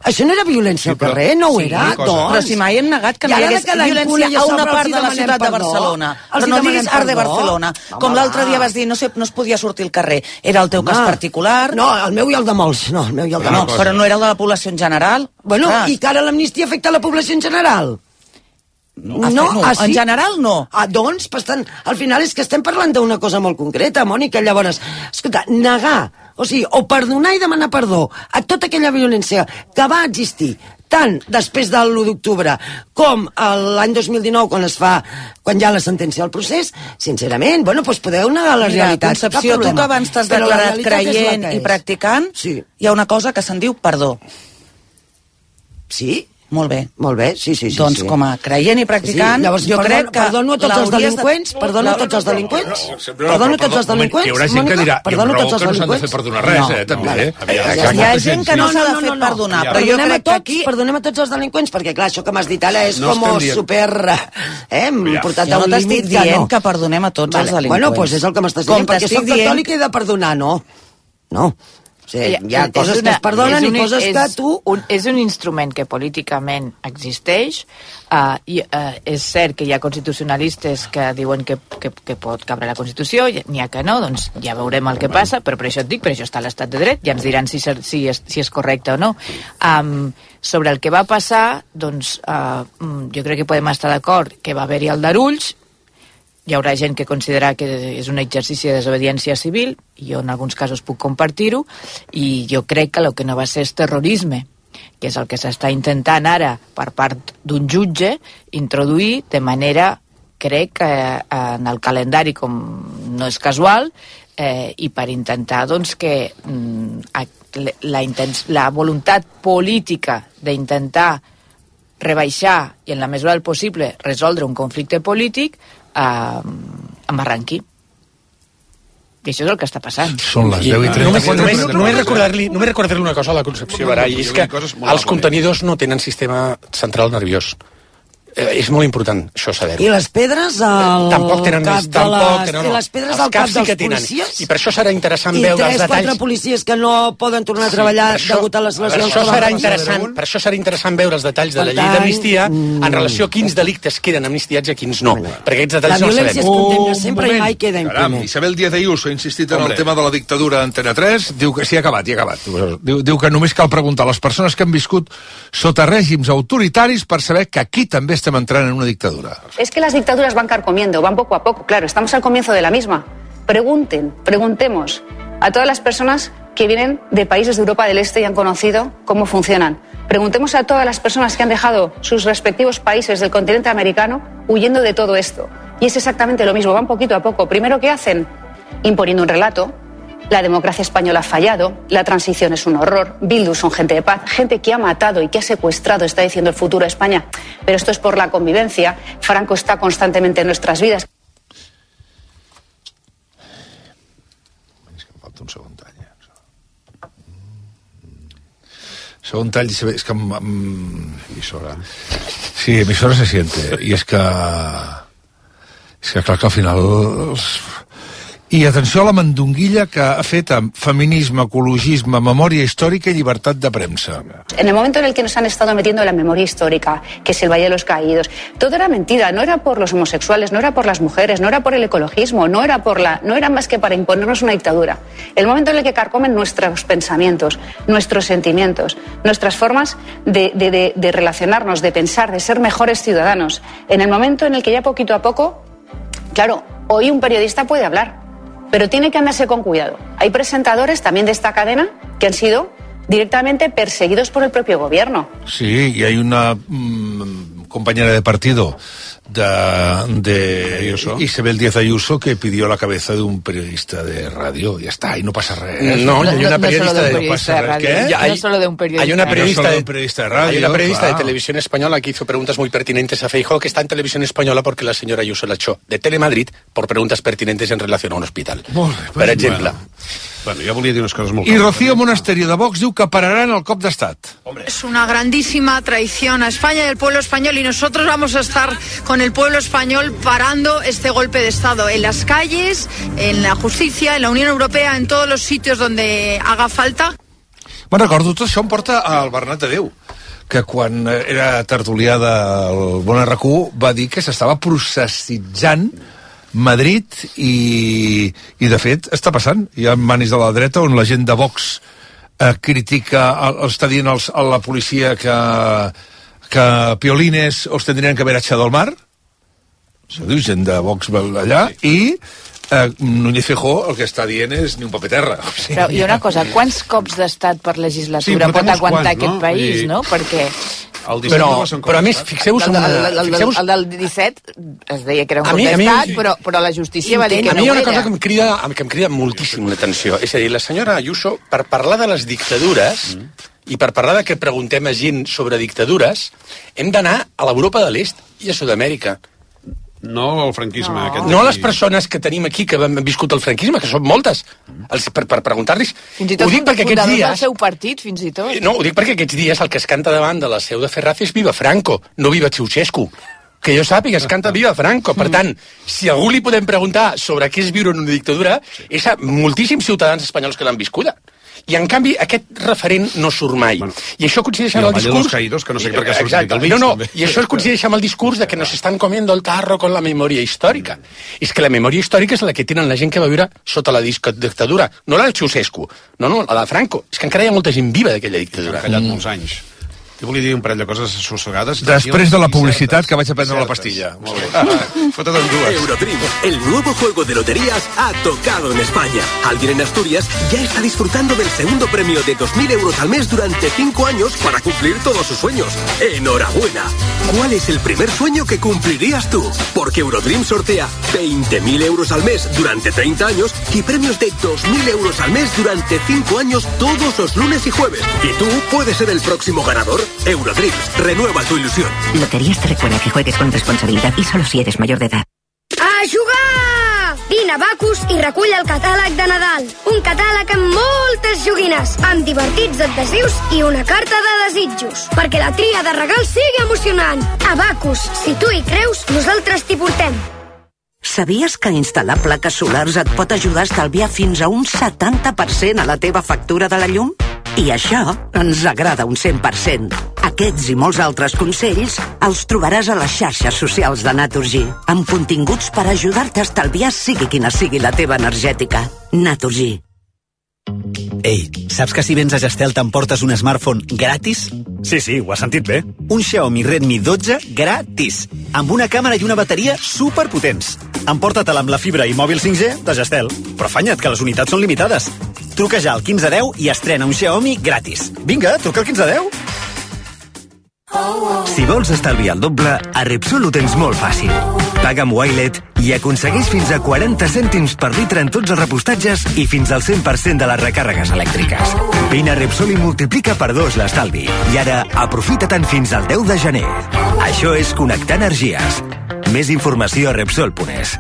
Això no era violència al carrer, no ho era, doncs. Però si mai hem negat que no hi hagués violència a una part de la ciutat de Barcelona. Però no diguis Arde Barcelona. Com l'altre dia vas dir, no es podia sortir al carrer. Era el teu cas particular? No, el meu i el de molts. No, però no era el de la població en general? Bueno, i que ara l'amnistia afecta la població en general? En general no. Doncs, al final és que estem parlant d'una cosa molt concreta, Mònica. Llavors, escolta, negar, o perdonar i demanar perdó a tota aquella violència que va existir tant després de l'1 d'octubre com l'any 2019 quan hi ha la sentència del procés, sincerament, doncs podeu negar la realitat. Concepció, tu que abans t'has declarat creient i practicant, hi ha una cosa que se'n diu perdó. Sí? Molt bé, sí. Doncs com a creient i practicant, jo crec que... Perdono a tots els delinqüents? Perdono a tots els delinqüents? Hi haurà gent que dirà, però que no s'han de fer perdonar res, també. Hi ha gent que no s'ha de fer perdonar, però jo crec que aquí... Perdonem a tots els delinqüents, perquè clar, això que m'has dit ara és com super... portat a un límit que no. Jo no t'estic dient que perdonem a tots els delinqüents. Bueno, doncs és el que m'estàs dient, perquè soc catòlic i he de perdonar, no. Sí, hi ha coses que es perdonen i coses que tu... És un instrument que políticament existeix, i és cert que hi ha constitucionalistes que diuen que pot cabre la Constitució, n'hi ha que no, doncs ja veurem el que passa, però per això et dic, per això està l'estat de dret, ja ens diran si és correcte o no. Sobre el que va passar, doncs jo crec que podem estar d'acord que va haver-hi el d'Arulls. Hi haurà gent que considera que és un exercici de desobediència civil, i jo en alguns casos puc compartir-ho, i jo crec que el que no va ser és terrorisme, que és el que s'està intentant ara per part d'un jutge introduir de manera crec que en el calendari, com no és casual, i per intentar doncs, que la voluntat política d'intentar rebaixar i en la mesura del possible resoldre un conflicte polític embarranqui. I això és el que està passant. Són les 10:30. Només recordar-li una cosa a la Concepció Baray, és que els contenidors no tenen sistema central nerviós. És molt important, això saber-ho. I les pedres al cap de les pedres al cap dels policies? I per això serà interessant veure els detalls. I 3-4 policies que no poden tornar a treballar degut a les lesions. Per això serà interessant veure els detalls de la llei d'amnistia en relació a quins delictes queden amnistiats i a quins no. Perquè aquests detalls no els sabem. La violència es condemna sempre i mai queda impune. Isabel Díaz Ayuso ha insistit en el tema de la dictadura Antena 3. Diu que sí, ha acabat. Diu que només cal preguntar a les persones que han viscut sota règims autoritaris per saber que aquí també estem entrant en una dictadura. Es que las dictaduras van carcomiendo, van poco a poco. Claro, estamos al comienzo de la misma. Preguntemos a todas las personas que vienen de países de Europa del Este y han conocido cómo funcionan. Preguntemos a todas las personas que han dejado sus respectivos países del continente americano huyendo de todo esto. Y es exactamente lo mismo, van poquito a poco. Primero, ¿qué hacen? Imponiendo un relato. La democracia española ha fallado, la transición es un horror, Bildu son gente de paz, gente que ha matado y que ha secuestrado, está diciendo el futuro de España. Pero esto es por la convivencia. Franco está constantemente en nuestras vidas. És que em falta un segon tall. Segon tall, és que... Emissora. Sí, emissora se siente. I és que clar que al final... I atenció a la mandonguilla que ha fet amb feminisme, ecologisme, memòria històrica i llibertat de premsa. En el momento en el que nos han estado metiendo la memoria histórica, que es el Valle de los Caídos, todo era mentira, no era por los homosexuales, no era por las mujeres, no era por el ecologismo, no era más que para imponernos una dictadura. El momento en el que carcomen nuestros pensamientos, nuestros sentimientos, nuestras formas de relacionarnos, de pensar, de ser mejores ciudadanos, en el momento en el que ya poquito a poco, claro, hoy un periodista puede hablar, pero tiene que andarse con cuidado. Hay presentadores también de esta cadena que han sido directamente perseguidos por el propio gobierno. Sí, y hay una compañera de partido de Isabel Díaz Ayuso que pidió la cabeza de un periodista de radio. Ya está, y no pasa res. No, hay una periodista de radio. No solo de un periodista. Hay una periodista de radio. Hay una periodista de televisión española que hizo preguntas muy pertinentes a Feijóo, que está en televisión española porque la señora Ayuso la echó de Telemadrid por preguntas pertinentes en relación a un hospital. Per exemple. Bueno, jo volia dir unes coses molt... I Rocío Monasterio de Vox diu que pararan el cop d'estat. Es una grandísima traición a España y al pueblo español, y nosotros vamos a estar con el pueblo español parando este golpe de Estado en las calles, en la justicia, en la Unión Europea, en todos los sitios donde haga falta. Me'n recordo, tot això em porta al Bernat de Déu, que quan era tertulià del Bon RQ va dir que s'estava processitzant Madrid i de fet està passant. Hi ha manis de la dreta on la gent de Vox critica, està dient a la policia que piolines els tendrien que haver echado al mar. Això diu gent de Vox allà. I Núñez Feijóo el que està dient és ni un paper terra. O sigui, però hi ha una cosa, quants cops d'estat per legislatura pot aguantar aquest país, no? Perquè... Però a més, fixeu-vos... El del 17 es deia que era un cop d'estat, però la justícia va dir que no ho era. A mi hi ha una cosa que em crida moltíssim l'atenció. És a dir, la senyora Ayuso, per parlar de les dictadures i per parlar de que preguntem a gent sobre dictadures, hem d'anar a l'Europa de l'Est i a Sud-amèrica. No al franquisme. No a les persones que tenim aquí que han viscut el franquisme, que són moltes, per preguntar-los. Fins i tot fundadors del seu partit, fins i tot. No, ho dic perquè aquests dies el que es canta davant de la seu de Ferraz és Viva Franco, no Viva Ceausescu. Que jo sàpiga, es canta Viva Franco. Per tant, si a algú li podem preguntar sobre què és viure en una dictadura, és a moltíssims ciutadans espanyols que l'han viscuda. I, en canvi, aquest referent no surt mai. Bueno, i això coincideix amb el discurs... Caídos, que no sé per què sortit el mig. I això coincideix amb el discurs de que nos están comiendo el tarro con la memoria històrica. És que la memòria històrica és la que tenen la gent que va viure sota la dictadura. No la de Ceausescu, no, la de Franco. És que encara hi ha molta gent viva d'aquella dictadura. Han callat molts anys. Jo volia dir un parell de coses assossegades. Després de la publicitat que vaig a prendre la pastilla. Molt bé. Fota't en dues. Eurodream, el nuevo juego de loterías, ha tocado en España. Alguien en Asturias ya está disfrutando del segundo premio de 2.000 euros al mes durante 5 años para cumplir todos sus sueños. ¡Enhorabuena! ¿Cuál es el primer sueño que cumplirías tú? Porque Eurodream sortea 20.000 euros al mes durante 30 años y premios de 2.000 euros al mes durante 5 años todos los lunes y jueves. Y tú puedes ser el próximo ganador. Eurodreams, renueva tu ilusión. Loterías te recuerda que juegues con responsabilidad y solo si eres mayor de edad. A jugar! Vine a Bacus i recull el catàleg de Nadal. Un catàleg amb moltes joguines, amb divertits adhesius i una carta de desitjos, perquè la tria de regals sigui emocionant. A Bacus, si tu hi creus, nosaltres t'hi portem. Sabies que instal·lar plaques solars et pot ajudar a estalviar fins a un 70% a la teva factura de la llum? I això ens agrada un 100%. Aquests i molts altres consells els trobaràs a les xarxes socials de Naturgy, amb continguts per ajudar-te a estalviar sigui quina sigui la teva energètica. Naturgy. Ei, saps que si vens a Gestel t'emportes un smartphone gratis? Sí, ho has sentit bé. Un Xiaomi Redmi 12 gratis, amb una càmera i una bateria superpotents. Emporta-te'l amb la fibra i mòbil 5G de Gestel. Però afanya't, que les unitats són limitades. Truca ja al 1510 i estrena un Xiaomi gratis. Vinga, truca al 1510. Si vols estalviar el doble, a Repsol ho tens molt fàcil. Paga amb Wilet i aconsegueix fins a 40 cèntims per litre en tots els repostatges i fins al 100% de les recàrregues elèctriques. Vine a Repsol i multiplica per 2 l'estalvi. I ara, aprofita-te'n fins al 10 de gener. Això és connectar energies. Més informació a Repsol.es.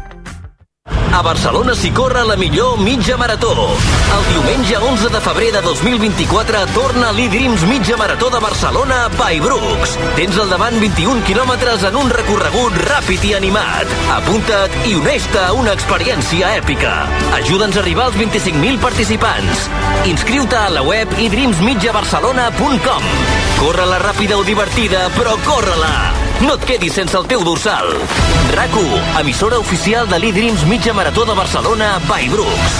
A Barcelona s'hi corre la millor mitja marató. El diumenge 11 de febrer de 2024 torna l'E-Dreams Mitja Marató de Barcelona by Brooks. Tens al davant 21 quilòmetres en un recorregut ràpid i animat. Apunta't i uneix-te a una experiència èpica. Ajuda'ns a arribar als 25.000 participants. Inscriu-te a la web edreamsmitjabarcelona.com. Corre-la ràpida o divertida, però corre-la! No et quedis sense el teu dorsal. RAC1, emissora oficial de l'E-Dreams Mitja Marató de Barcelona by Brooks.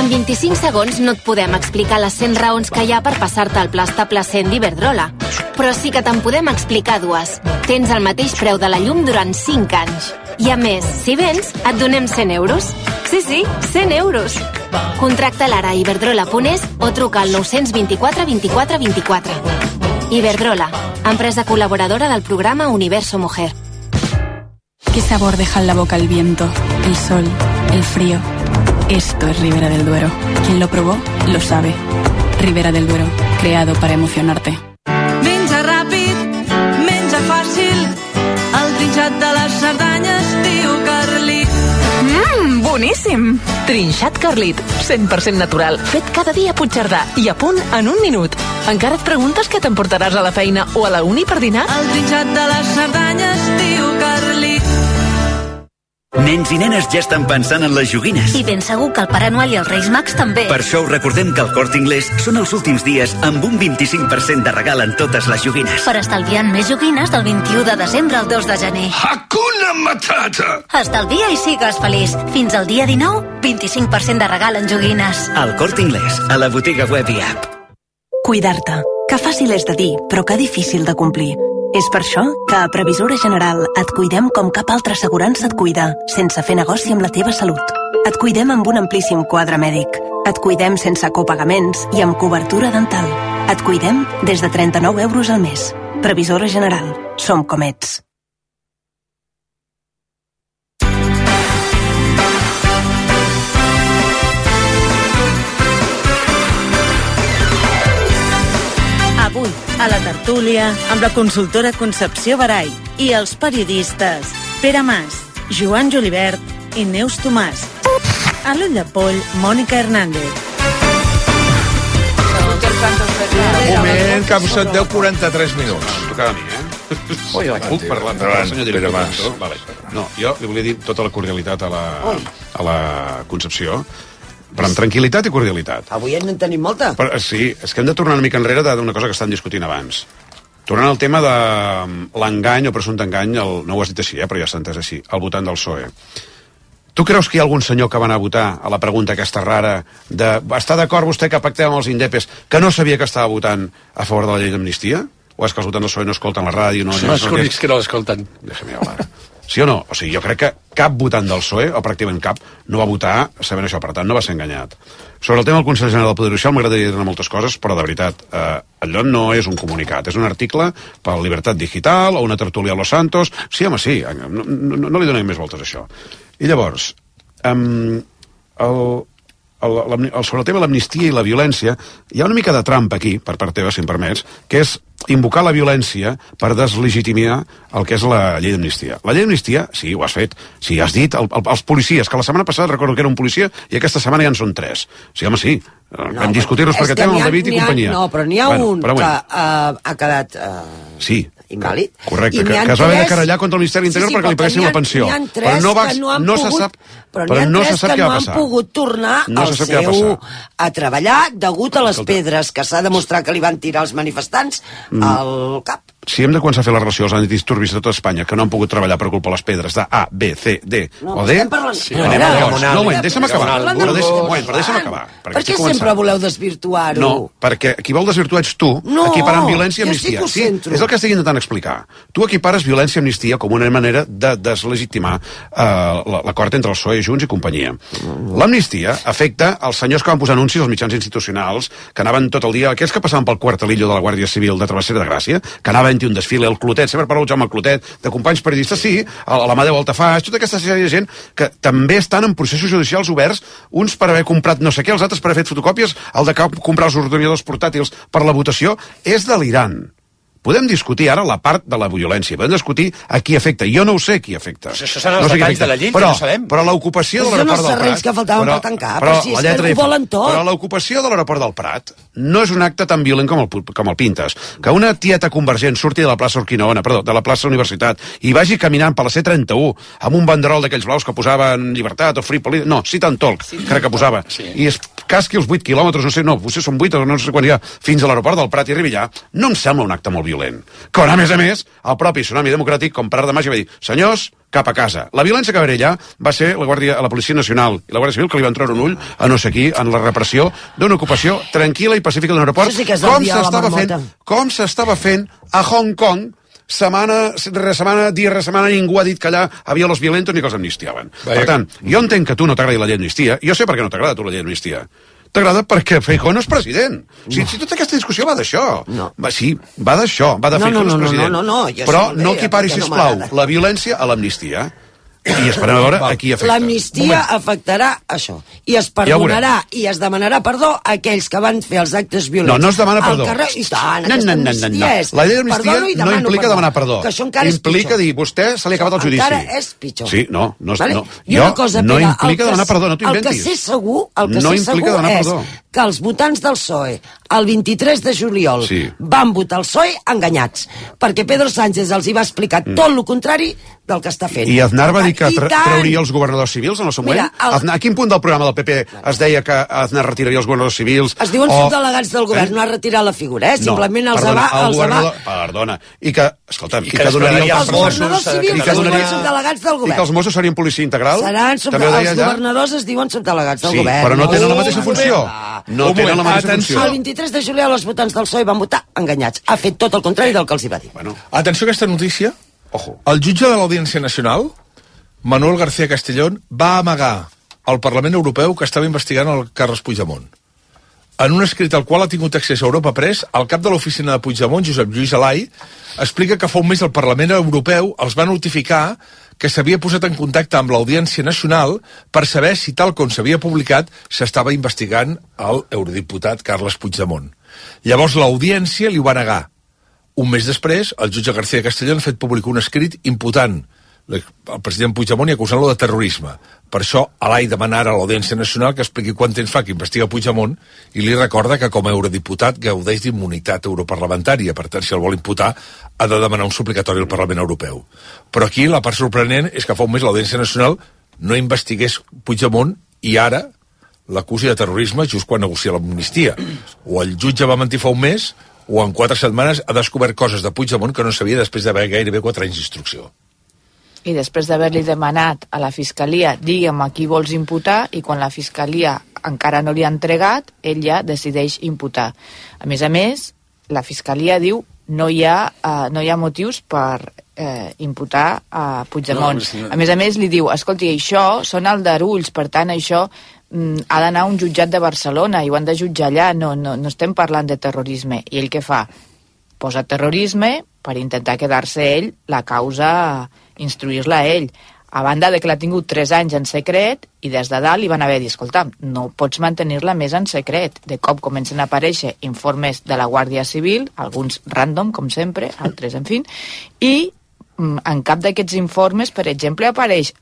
En 25 segons no et podem explicar les 100 raons que hi ha per passar-te el pla estable 100 d'Iberdrola. Però sí que te'n podem explicar dues. Tens el mateix preu de la llum durant 5 anys. I a més, si vens, et donem 100 euros. Sí, 100 euros. Contracta l'ara a iberdrola.es o truca al 924 24 24. Iberdrola, empresa colaboradora del programa Universo Mujer. ¿Qué sabor deja en la boca el viento, el sol, el frío? Esto es Ribera del Duero. Quien lo probó, lo sabe. Ribera del Duero, creado para emocionarte. Menja ràpid, menja fàcil, el trinxat de les Cerdanyes, tio Carlit. Boníssim! Trinxat Carlit, 100% natural, fet cada dia a Puigcerdà i a punt en un minut. Encara et preguntes què t'emportaràs a la feina o a la uni per dinar? El trinxat de les Cerdanyes, tio Carlit. Nens i nenes ja estan pensant en les joguines. I ben segur que el Pare Noel i els Reis Mags també. Per això us recordem que al Corte Inglés són els últims dies amb un 25% de regal en totes les joguines. Per estalviar més joguines del 21 de desembre al 2 de gener. Hakuna Matata! Estalvia i sigues feliç. Fins al dia 19, 25% de regal en joguines. Al Corte Inglés, a la botiga web i app. Cuidar-te. Que fàcil és de dir, però que difícil de complir. És per això que a Previsora General et cuidem com cap altra assegurança et cuida, sense fer negoci amb la teva salut. Et cuidem amb un amplíssim quadre mèdic. Et cuidem sense copagaments i amb cobertura dental. Et cuidem des de 39 euros al mes. Previsora General. Som com ets. Avui, a la tertúlia, amb la consultora Concepció Barai i els periodistes Pere Mas, Joan Julibert i Neus Tomàs. A l'Ull de Poll, Mònica Hernández. Un moment, que em 10:43 minuts. Tocava a mi, Puc parlar amb el senyor director? Vale. No, jo li volia dir tota la cordialitat a la Concepció, però amb tranquil·litat i cordialitat. Avui no en tenim molta. Però, sí, és que hem de tornar una mica enrere d'una cosa que estan discutint abans. Tornant al tema de l'engany o presumpte engany, no ho has dit així, però ja s'ha entès així, al votant del PSOE. Tu creus que hi ha algun senyor que va anar a votar a la pregunta aquesta rara de està d'acord vostè que pactem amb els indepes que no sabia que estava votant a favor de la llei d'amnistia? O és que els votants del PSOE no escolten la ràdio? Són els únics que no l'escolten. Deixa'm hablar. Sí o no? O sigui, jo crec que cap votant del PSOE, o pràcticament cap, no va votar sabent això, per tant, no va ser enganyat. Sobre el tema del Consell General del Poder Judicial m'agradaria dir moltes coses, però de veritat, allò no és un comunicat, és un article per la Libertat Digital o una tertúlia a Los Santos. Sí, home, sí, no li donem més voltes a això. I llavors, sobre el tema de l'amnistia i la violència, hi ha una mica de trampa aquí, per part teva, si em permets, que és invocar la violència per deslegitimar el que és la llei d'amnistia. La llei d'amnistia, sí, ho has fet, sí, has dit, els policies, que la setmana passada recordo que era un policia i aquesta setmana ja en són 3. Sí, home, sí, vam discutir-los perquè tema el David i companyia. No, però n'hi ha un que ha quedat... Sí, invàlid. Correcte, que es va haver de querellar contra el Ministeri d'Interior perquè li paguessin la pensió. Però no se sap què va passar. Pogut tornar a treballar degut a les pedres que s'ha demostrat que li van tirar els manifestants al cap. Si hem de començar a fer la relació als antidisturbis de tota Espanya que no han pogut treballar per culpa de les pedres de A, B, C, D o D... No, deixa'm acabar. Però deixa'm acabar. Per què sempre voleu desvirtuar-ho? No, perquè qui vol desvirtuar ets tu, equiparant violència i amnistia. Sí, és el que estic intentant explicar. Tu equipares violència i amnistia com una manera de deslegitimar l'acord entre el PSOE, Junts i companyia. L'amnistia afecta els senyors que van posar anuncis als mitjans institucionals, que anaven tot el dia, aquells que passaven pel quartelillo de la Guàrdia Civil de Travessera de Gràcia, que anaven un desfile, el Clotet, sempre parlo Jaume Clotet, de companys periodistes, sí, l'Amadeu Altafàs, tota aquesta sèrie de gent que també estan en processos judicials oberts, uns per haver comprat no sé què, els altres per haver fet fotocòpies, el de comprar els ordinadors portàtils per la votació, és delirant. Podem discutir ara la part de la violència, podem discutir a qui afecta. Jo no ho sé qui afecta. Però això són els detalls de la llei, que no sabem. Però l'ocupació de l'aeroport del Prat... Són els serrells que faltaven per tancar, però si és que ho volen tot. Però l'ocupació de l'aeroport del Prat no és un acte tan violent com el pintes. Que una tieta convergent surti de la plaça Urquinaona, perdó, de la plaça Universitat, i vagi caminant per la C31 amb un banderol d'aquells blaus que posaven llibertat o free police... No, sit and talk, crec que posava. I es casqui els 8 quilòmetres, no sé, potser són 8 o no sé quan hi ha, fins a l'aeroport del Prat i arribi allà, no em sembla un acte molt violent. Quan, a més, el propi Tsunami Democràtic, com per art de màgia, va dir, senyors, cap a casa. La violència que va haver allà va ser la Policia Nacional i la Guàrdia Civil que li van treure un ull a no sé qui en la repressió d'una ocupació tranquil·la i pacífica d'un aeroport, com s'estava fent a Hong Kong setmana rere setmana, ningú ha dit que allà havia los violentos ni que els amnistiaven. Per tant, jo entenc que tu no t'agradi la llei d'amnistia, jo sé per què no t'agrada tu la llei d'amnistia. T'agrada perquè Feijóo no és president. Si tota aquesta discussió va d'això. Sí, va d'això, va de Feijóo no és president. Però no equipari, sisplau, la violència a l'amnistia. I esperem a veure a qui afecta. L'amnistia afectarà això. I es perdonarà i es demanarà perdó a aquells que van fer els actes violents. No es demana perdó. I tant, aquesta amnistia és... La llei d'amnistia no implica demanar perdó. Implica dir, vostè se li ha acabat el judici. Encara és pitjor. Sí, no implica demanar perdó, no t'ho inventis. El que sé segur és que els votants del PSOE el 23 de juliol van votar el PSOE enganyats, perquè Pedro Sánchez els hi va explicar tot el contrari del que està fent. I Aznar va dir que trauria els governadors civils en el seu moment? A quin punt del programa del PP es deia que Aznar retiraria els governadors civils? Es diuen subdelegats del govern, no ha retirat la figura, simplement els va... Perdona, i que, escolta'm, i que donaria els governadors civils es diuen subdelegats del govern. I que els Mossos serien policia integral? Els governadors es diuen subdelegats del govern. Sí, però no tenen la mateixa funció. No tenen la mateixa funció. El 23 de juliol els votants del PSOE van votar enganyats. Ha fet tot el contrari del que els hi va dir. Atenció a aquesta notícia. El jutge de l'Audiència Nacional, Manuel García Castellón, va amagar al Parlament Europeu que estava investigant el Carles Puigdemont. En un escrit al qual ha tingut accés a Europa Press, el cap de l'oficina de Puigdemont, Josep Lluís Alai, explica que fa un mes el Parlament Europeu els va notificar que s'havia posat en contacte amb l'Audiència Nacional per saber si, tal com s'havia publicat, s'estava investigant el eurodiputat Carles Puigdemont. Llavors l'Audiència li ho va negar. Un mes després, el jutge García Castellón ha fet públic un escrit imputant el president Puigdemont i acusant-lo de terrorisme. Per això, Alai demana ara a l'Audiència Nacional que expliqui quant temps fa que investiga Puigdemont i li recorda que com a eurodiputat gaudeix d'immunitat europarlamentària. Per tant, si el vol imputar, ha de demanar un suplicatori al Parlament Europeu. Però aquí la part sorprenent és que fa un mes l'Audiència Nacional no investigués Puigdemont i ara l'acusi de terrorisme just quan negocia l'amnistia. O el jutge va mentir fa un mes o en 4 setmanes ha descobert coses de Puigdemont que no sabia després d'haver gairebé 4 anys d'instrucció. i després d'haver-li demanat a la Fiscalia digue'm a qui vols imputar, i quan la Fiscalia encara no li ha entregat, ell ja decideix imputar. A més, la Fiscalia diu no hi ha motius per imputar a Puigdemont. A més, li diu, escolti, això són aldarulls, per tant, això ha d'anar a un jutjat de Barcelona i ho han de jutjar allà, no estem parlant de terrorisme. I ell què fa? Posa terrorisme per intentar quedar-se ell la causa, instruir-la a ell. A banda de que l'ha tingut 3 anys en secret, i des de dalt li van haver dit, escolta, no pots mantenir-la més en secret. De cop comencen a aparèixer informes de la Guàrdia Civil, alguns random, com sempre, altres, en fi, i en cap d'aquests informes, per exemple, apareix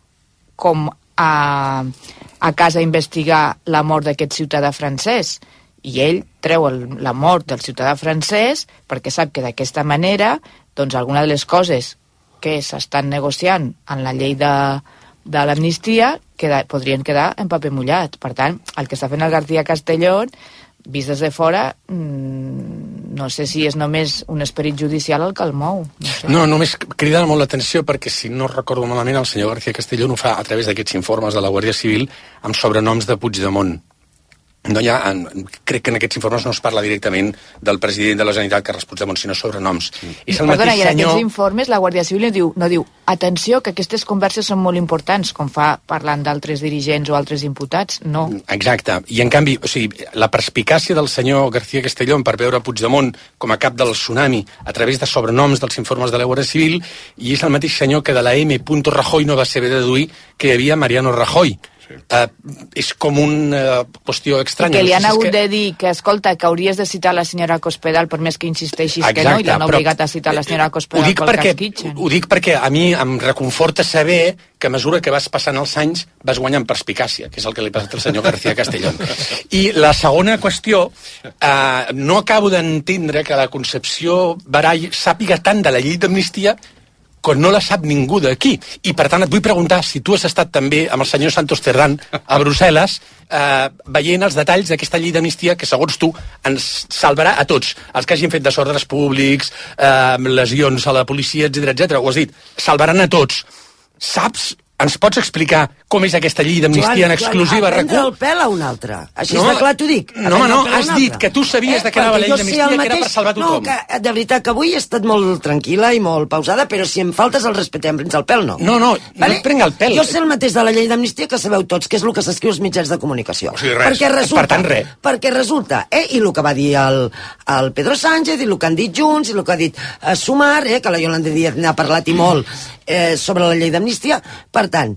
com a casa a investigar la mort d'aquest ciutadà francès. I ell treu la mort del ciutadà francès perquè sap que d'aquesta manera, doncs, alguna de les coses que s'estan negociant en la llei de l'amnistia podrien quedar en paper mullat. Per tant, el que està fent el García Castellón, vist des de fora, no sé si és només un esperit judicial el que el mou. No, només crida molt l'atenció perquè, si no recordo malament, el senyor García Castellón ho fa a través d'aquests informes de la Guàrdia Civil amb sobrenoms de Puigdemont. No hi ha, crec que en aquests informes no es parla directament del president de la Generalitat, Carles Puigdemont, sinó sobrenoms. Perdona, i en aquests informes la Guàrdia Civil no diu atenció, que aquestes converses són molt importants, com fa parlant d'altres dirigents o altres imputats, no. Exacte, i en canvi, o sigui, la perspicàcia del senyor García Castellón per veure Puigdemont com a cap del tsunami a través de sobrenoms dels informes de la Guàrdia Civil, i és el mateix senyor que de la M. Rajoy no va saber deduir que hi havia Mariano Rajoy. És com una qüestió estranya. I que li han hagut de dir que, escolta, que hauries de citar la senyora Cospedal per més que insisteixis que no, i l'han obligat a citar la senyora Cospedal pel cas Kitchen. Ho dic perquè a mi em reconforta saber que a mesura que vas passant els anys vas guanyant perspicàcia, que és el que li ha passat al senyor García Castellón. I la segona qüestió, no acabo d'entendre que la Concepció Barall sàpiga tant de la llei d'amnistia quan no la sap ningú d'aquí. I, per tant, et vull preguntar si tu has estat també amb el senyor Santos Cerdán a Brussel·les veient els detalls d'aquesta llei d'amnistia que, segons tu, ens salvarà a tots. Els que hagin fet desordres públics, lesions a la policia, etc. Ho has dit, salvaran a tots. Saps? Ens pots explicar com és aquesta llei d'amnistia en exclusiva? Joan, prendre el pèl a un altre. Així de clar t'ho dic. No, has dit que tu sabies de què anava la llei d'amnistia, que era per salvar tothom. No, que de veritat que avui he estat molt tranquil·la i molt pausada, però si em faltes el respecte em prens el pèl, no. No et prenc el pèl. Jo sé el mateix de la llei d'amnistia que sabeu tots, que és el que s'escriu als mitjans de comunicació. O sigui, res. Per tant, res. Perquè resulta, i el que va dir el Pedro Sánchez, i el que han dit Junts, i el que ha dit Sumar, que la Yolanda Díaz n'ha parlat i molt sobre la llei d'amnistia. Per tant,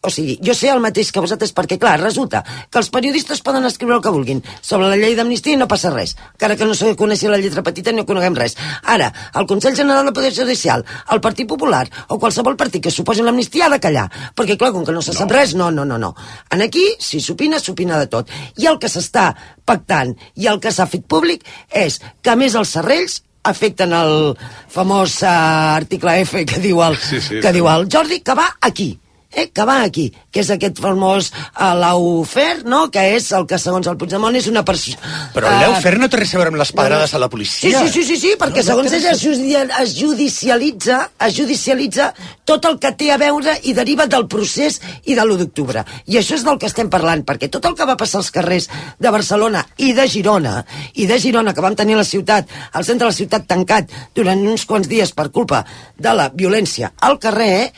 o sigui, jo sé el mateix que vosaltres perquè, clar, resulta que els periodistes poden escriure el que vulguin sobre la llei d'amnistia i no passa res, encara que no se coneixi la lletra petita i no coneguem res. Ara, el Consell General del Poder Judicial, el Partit Popular o qualsevol partit que suposi l'amnistia ha de callar, perquè, clar, com que no se sap res, no. En aquí, si s'opina de tot. I el que s'està pactant i el que s'ha fet públic és que, a més, els serrells afecten el famós article F que diu el Jordi, que va aquí, que és aquest famós lawfare, no? Que és el que, segons el Puigdemont, és una persona... Però el lawfare no té res a veure amb les pedrades a la policia. Sí, perquè segons ell es judicialitza tot el que té a veure i deriva del procés i de l'1 d'octubre. I això és del que estem parlant, perquè tot el que va passar als carrers de Barcelona i de Girona, que vam tenir la ciutat, el centre de la ciutat tancat durant uns quants dies per culpa de la violència al carrer,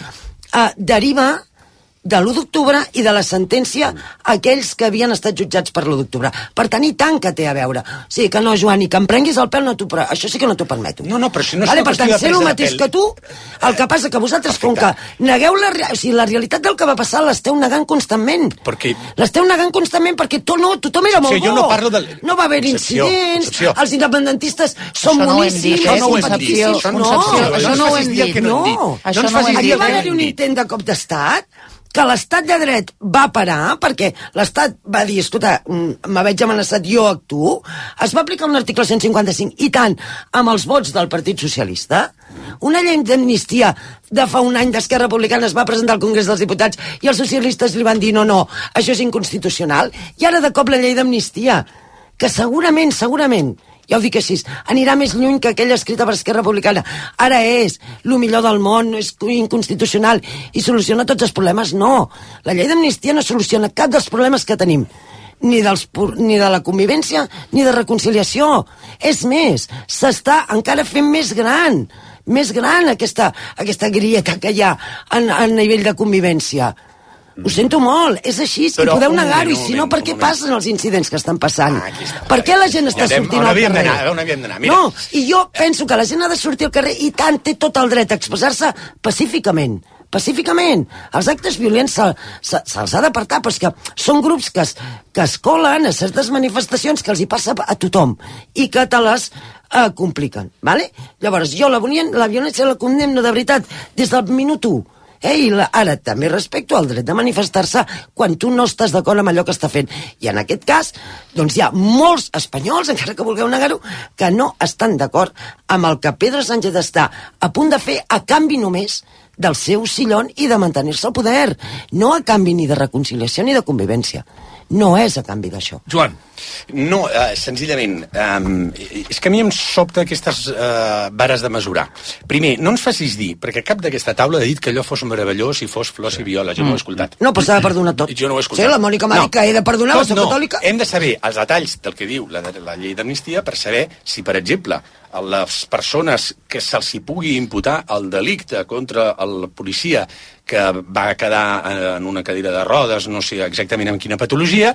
deriva de l'1 d'octubre i de la sentència a aquells que havien estat jutjats per l'1 d'octubre. Per tant, i tant que té a veure. O sigui que no, Joan, i que em prenguis el pèl, això sí que no t'ho permeto. No, però si no és una qüestió de presa de pèl. Per tant, sé el mateix que tu, el que passa que vosaltres, com que negueu la realitat del que va passar, l'esteu negant constantment. L'esteu negant constantment perquè tothom era molt bo. No va haver incidents, els independentistes són boníssims. Això no ho hem dit. Això no ho hem dit. Aquí va haver un intent de cop d'estat que l'estat de dret va parar perquè l'estat va dir, escolta, me veig amenaçat, jo actuo. Es va aplicar un article 155 i tant amb els vots del Partit Socialista. Una llei d'amnistia de fa un any d'Esquerra Republicana es va presentar al Congrés dels Diputats i els socialistes li van dir no, això és inconstitucional. I ara de cop la llei d'amnistia, que segurament, ja ho dic així, anirà més lluny que aquella escrita per Esquerra Republicana. Ara és el millor del món, és inconstitucional i soluciona tots els problemes. No, la llei d'amnistia no soluciona cap dels problemes que tenim, ni de la convivència ni de reconciliació. És més, s'està encara fent més gran aquesta grieta que hi ha a nivell de convivència. Ho sento molt, és així, i podeu negar-ho, i si no, per què passen els incidents que estan passant? Per què la gent està sortint al carrer? On havíem d'anar? No, i jo penso que la gent ha de sortir al carrer i tant té tot el dret a expressar-se pacíficament. Els actes violents se'ls ha d'apartar, però és que són grups que es colen a certes manifestacions que els hi passa a tothom i que te les compliquen, vale? Llavors, jo la violència la condemno de veritat des del minut 1. I ara també respecto al dret de manifestar-se quan tu no estàs d'acord amb allò que està fent. I en aquest cas, doncs hi ha molts espanyols, encara que vulgueu negar-ho, que no estan d'acord amb el que Pedro Sánchez està a punt de fer a canvi només del seu sillón i de mantenir-se al poder. No a canvi ni de reconciliació ni de convivència. No és a canvi d'això. Joan. No, senzillament, és que a mi em sobta aquestes vares de mesurar. Primer, no ens facis dir, perquè cap d'aquesta taula ha dit que allò fos meravellós i fos flors i viola. Jo no ho he escoltat. No, però s'ha de perdonar tot. Jo no ho he escoltat. Sí, la Mònica m'ha dit que he de perdonar, la soc catòlica. Hem de saber els detalls del que diu la llei d'amnistia per saber si, per exemple, a les persones que se'ls hi pugui imputar el delicte contra el policia que va quedar en una cadira de rodes, no sé exactament amb quina patologia,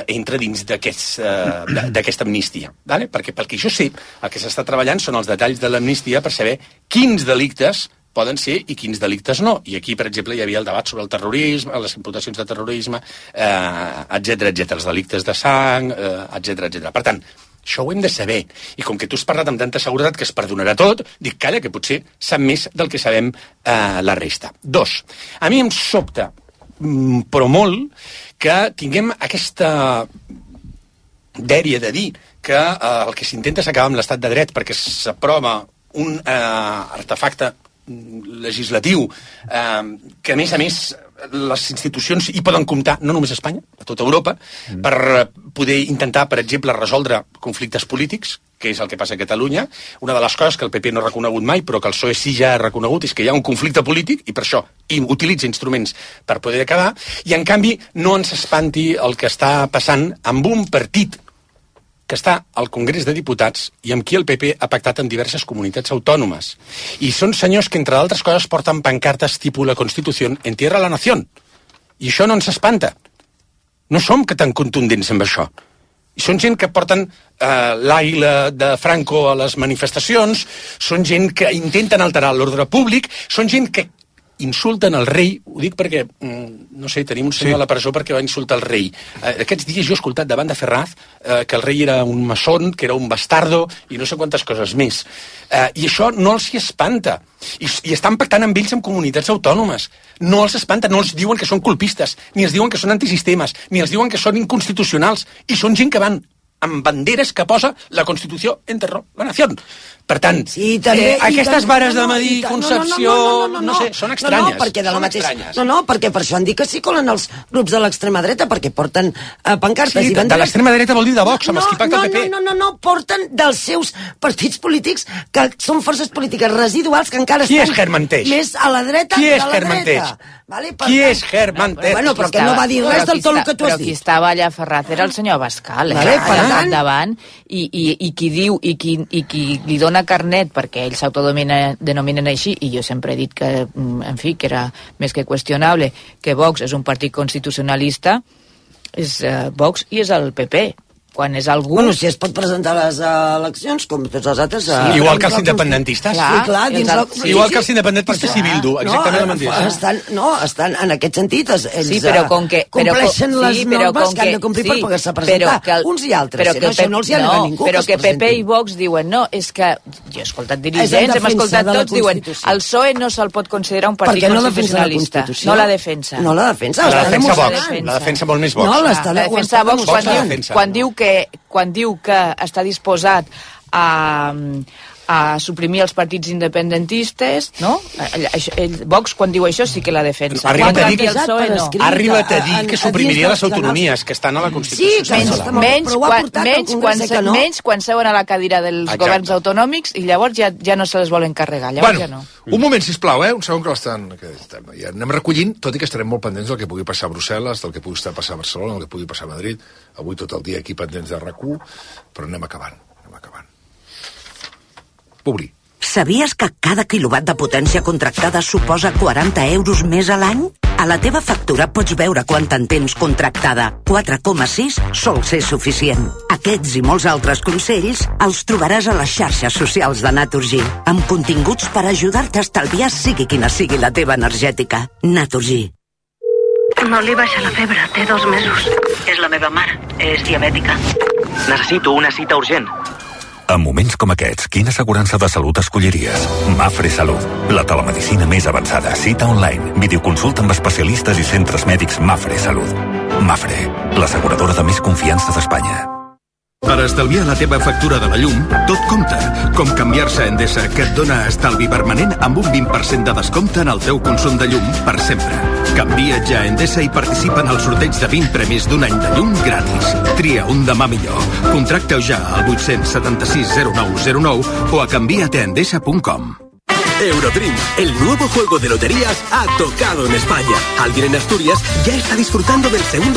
entra dins d'aquesta amnistia. Vale? Perquè pel que jo sé, el que s'està treballant són els detalls de l'amnistia per saber quins delictes poden ser i quins delictes no. I aquí, per exemple, hi havia el debat sobre el terrorisme, les imputacions de terrorisme, etc, els delictes de sang, etc. Per tant, això ho hem de saber. I com que tu has parlat amb tanta seguretat que es perdonarà tot, dic, calla, que potser sap més del que sabem la resta. 2. A mi em sobta, però molt, que tinguem aquesta dèria de dir que el que s'intenta és acabar amb l'estat de dret perquè s'aprova un artefacte legislatiu que, a més, les institucions hi poden comptar, no només a Espanya, a tota Europa, per poder intentar, per exemple, resoldre conflictes polítics, que és el que passa a Catalunya. Una de les coses que el PP no ha reconegut mai, però que el PSOE sí ja ha reconegut, és que hi ha un conflicte polític, i per això utilitza instruments per poder acabar, i en canvi no ens espanti el que està passant amb un partit que està al Congrés de Diputats i amb qui el PP ha pactat en diverses comunitats autònomes. I són senyors que, entre altres coses, porten pancartes tipus la Constitució entierra la nació. I això no ens espanta. No som que tan contundents amb això. I són gent que porten l'àguila de Franco a les manifestacions, són gent que intenten alterar l'ordre públic, són gent que insulten el rei, ho dic perquè, no sé, tenim un senyor a la presó perquè va insultar el rei. Aquests dies jo he escoltat davant de Ferraz que el rei era un maçon, que era un bastardo i no sé quantes coses més. I això no els hi espanta. I estan pactant amb ells en comunitats autònomes. No els espanta, no els diuen que són colpistes, ni els diuen que són antisistemes, ni els diuen que són inconstitucionals. I són gent que van amb banderes que posa la Constitució enterró la nació. Per tant, aquestes vares de medir concepció, no sé, són estranyes. Perquè per això han dit que s'hi colen els grups de l'extrema dreta, perquè porten pancartes i banderes. De l'extrema dreta vol dir de Vox, amb els qui pacta el PP. No, porten dels seus partits polítics, que són forces polítiques residuals que encara estan més a la dreta que a la dreta. Qui és Germanteix? Bueno, però que no va dir res del tot el que tu has dit. Però qui estava allà a Ferraz era el senyor Abascal, davant, i qui diu, i qui li dona carnet, perquè ells s'autodenominen així, i jo sempre he dit que, en fi, que era més que qüestionable, que Vox és un partit constitucionalista, és Vox i és el PP. Quan és algú... Bueno, si es pot presentar a les eleccions, com tots els altres... Igual que els independentistes. Igual que els independentistes i Bildu, exactament el mateix. Estan en aquest sentit, ells compleixen les normes que han de complir per poder-se presentar, uns i altres. Això no els hi ha a ningú. Però que PP i Vox diuen, no, és que... Jo he escoltat dirigents, hem escoltat tots, diuen, el PSOE no se'l pot considerar un partit constitucionalista. No la defensa. No la defensa. La defensa molt més Vox. La defensa Vox quan diu que està disposat a a suprimir els partits independentistes, no? Vox, quan diu això, sí que la defensa. Ha arribat a dir que suprimiria les autonomies, que estan a la Constitució. Menys quan seuen a la cadira dels governs autonòmics i llavors ja no se les volen carregar. Llavors ja no. Un moment, sisplau, un segon que l'estan... Ja anem recollint, tot i que estarem molt pendents del que pugui passar a Brussel·les, del que pugui passar a Barcelona, del que pugui passar a Madrid. Avui tot el dia aquí pendents de RAC1, però anem acabant. Publi. Sabies que cada quilowatt de potència contractada suposa 40 euros més a l'any? A la teva factura pots veure quant en tens contractada. 4,6 sol ser suficient. Aquests i molts altres consells els trobaràs a les xarxes socials de Naturgy, amb continguts per ajudar-te a estalviar sigui quina sigui la teva energètica. Naturgy. No li baixa la febre, té 2 mesos. És la meva mare, és diabètica. Necessito una cita urgent. En moments com aquests, quina assegurança de salut escolliries? Mafre Salut, la telemedicina més avançada, cita online, videoconsulta amb especialistes i centres mèdics Mafre Salut. Mafre, l'asseguradora de més confiança d'Espanya. Per estalviar la teva factura de la llum, tot compta. Com canviar-se a Endesa, que et dona estalvi permanent amb un 20% de descompte en el teu consum de llum per sempre. Canvia't ja a Endesa i participa en el sorteig de 20 premis d'un any de llum gratis. Tria un demà millor. Contracta-ho ja al 876 0909 o a canviateendesa.com. Eurodream, el nuevo juego de loterías, ha tocado en España. Alguien en Asturias ya está disfrutando del segundo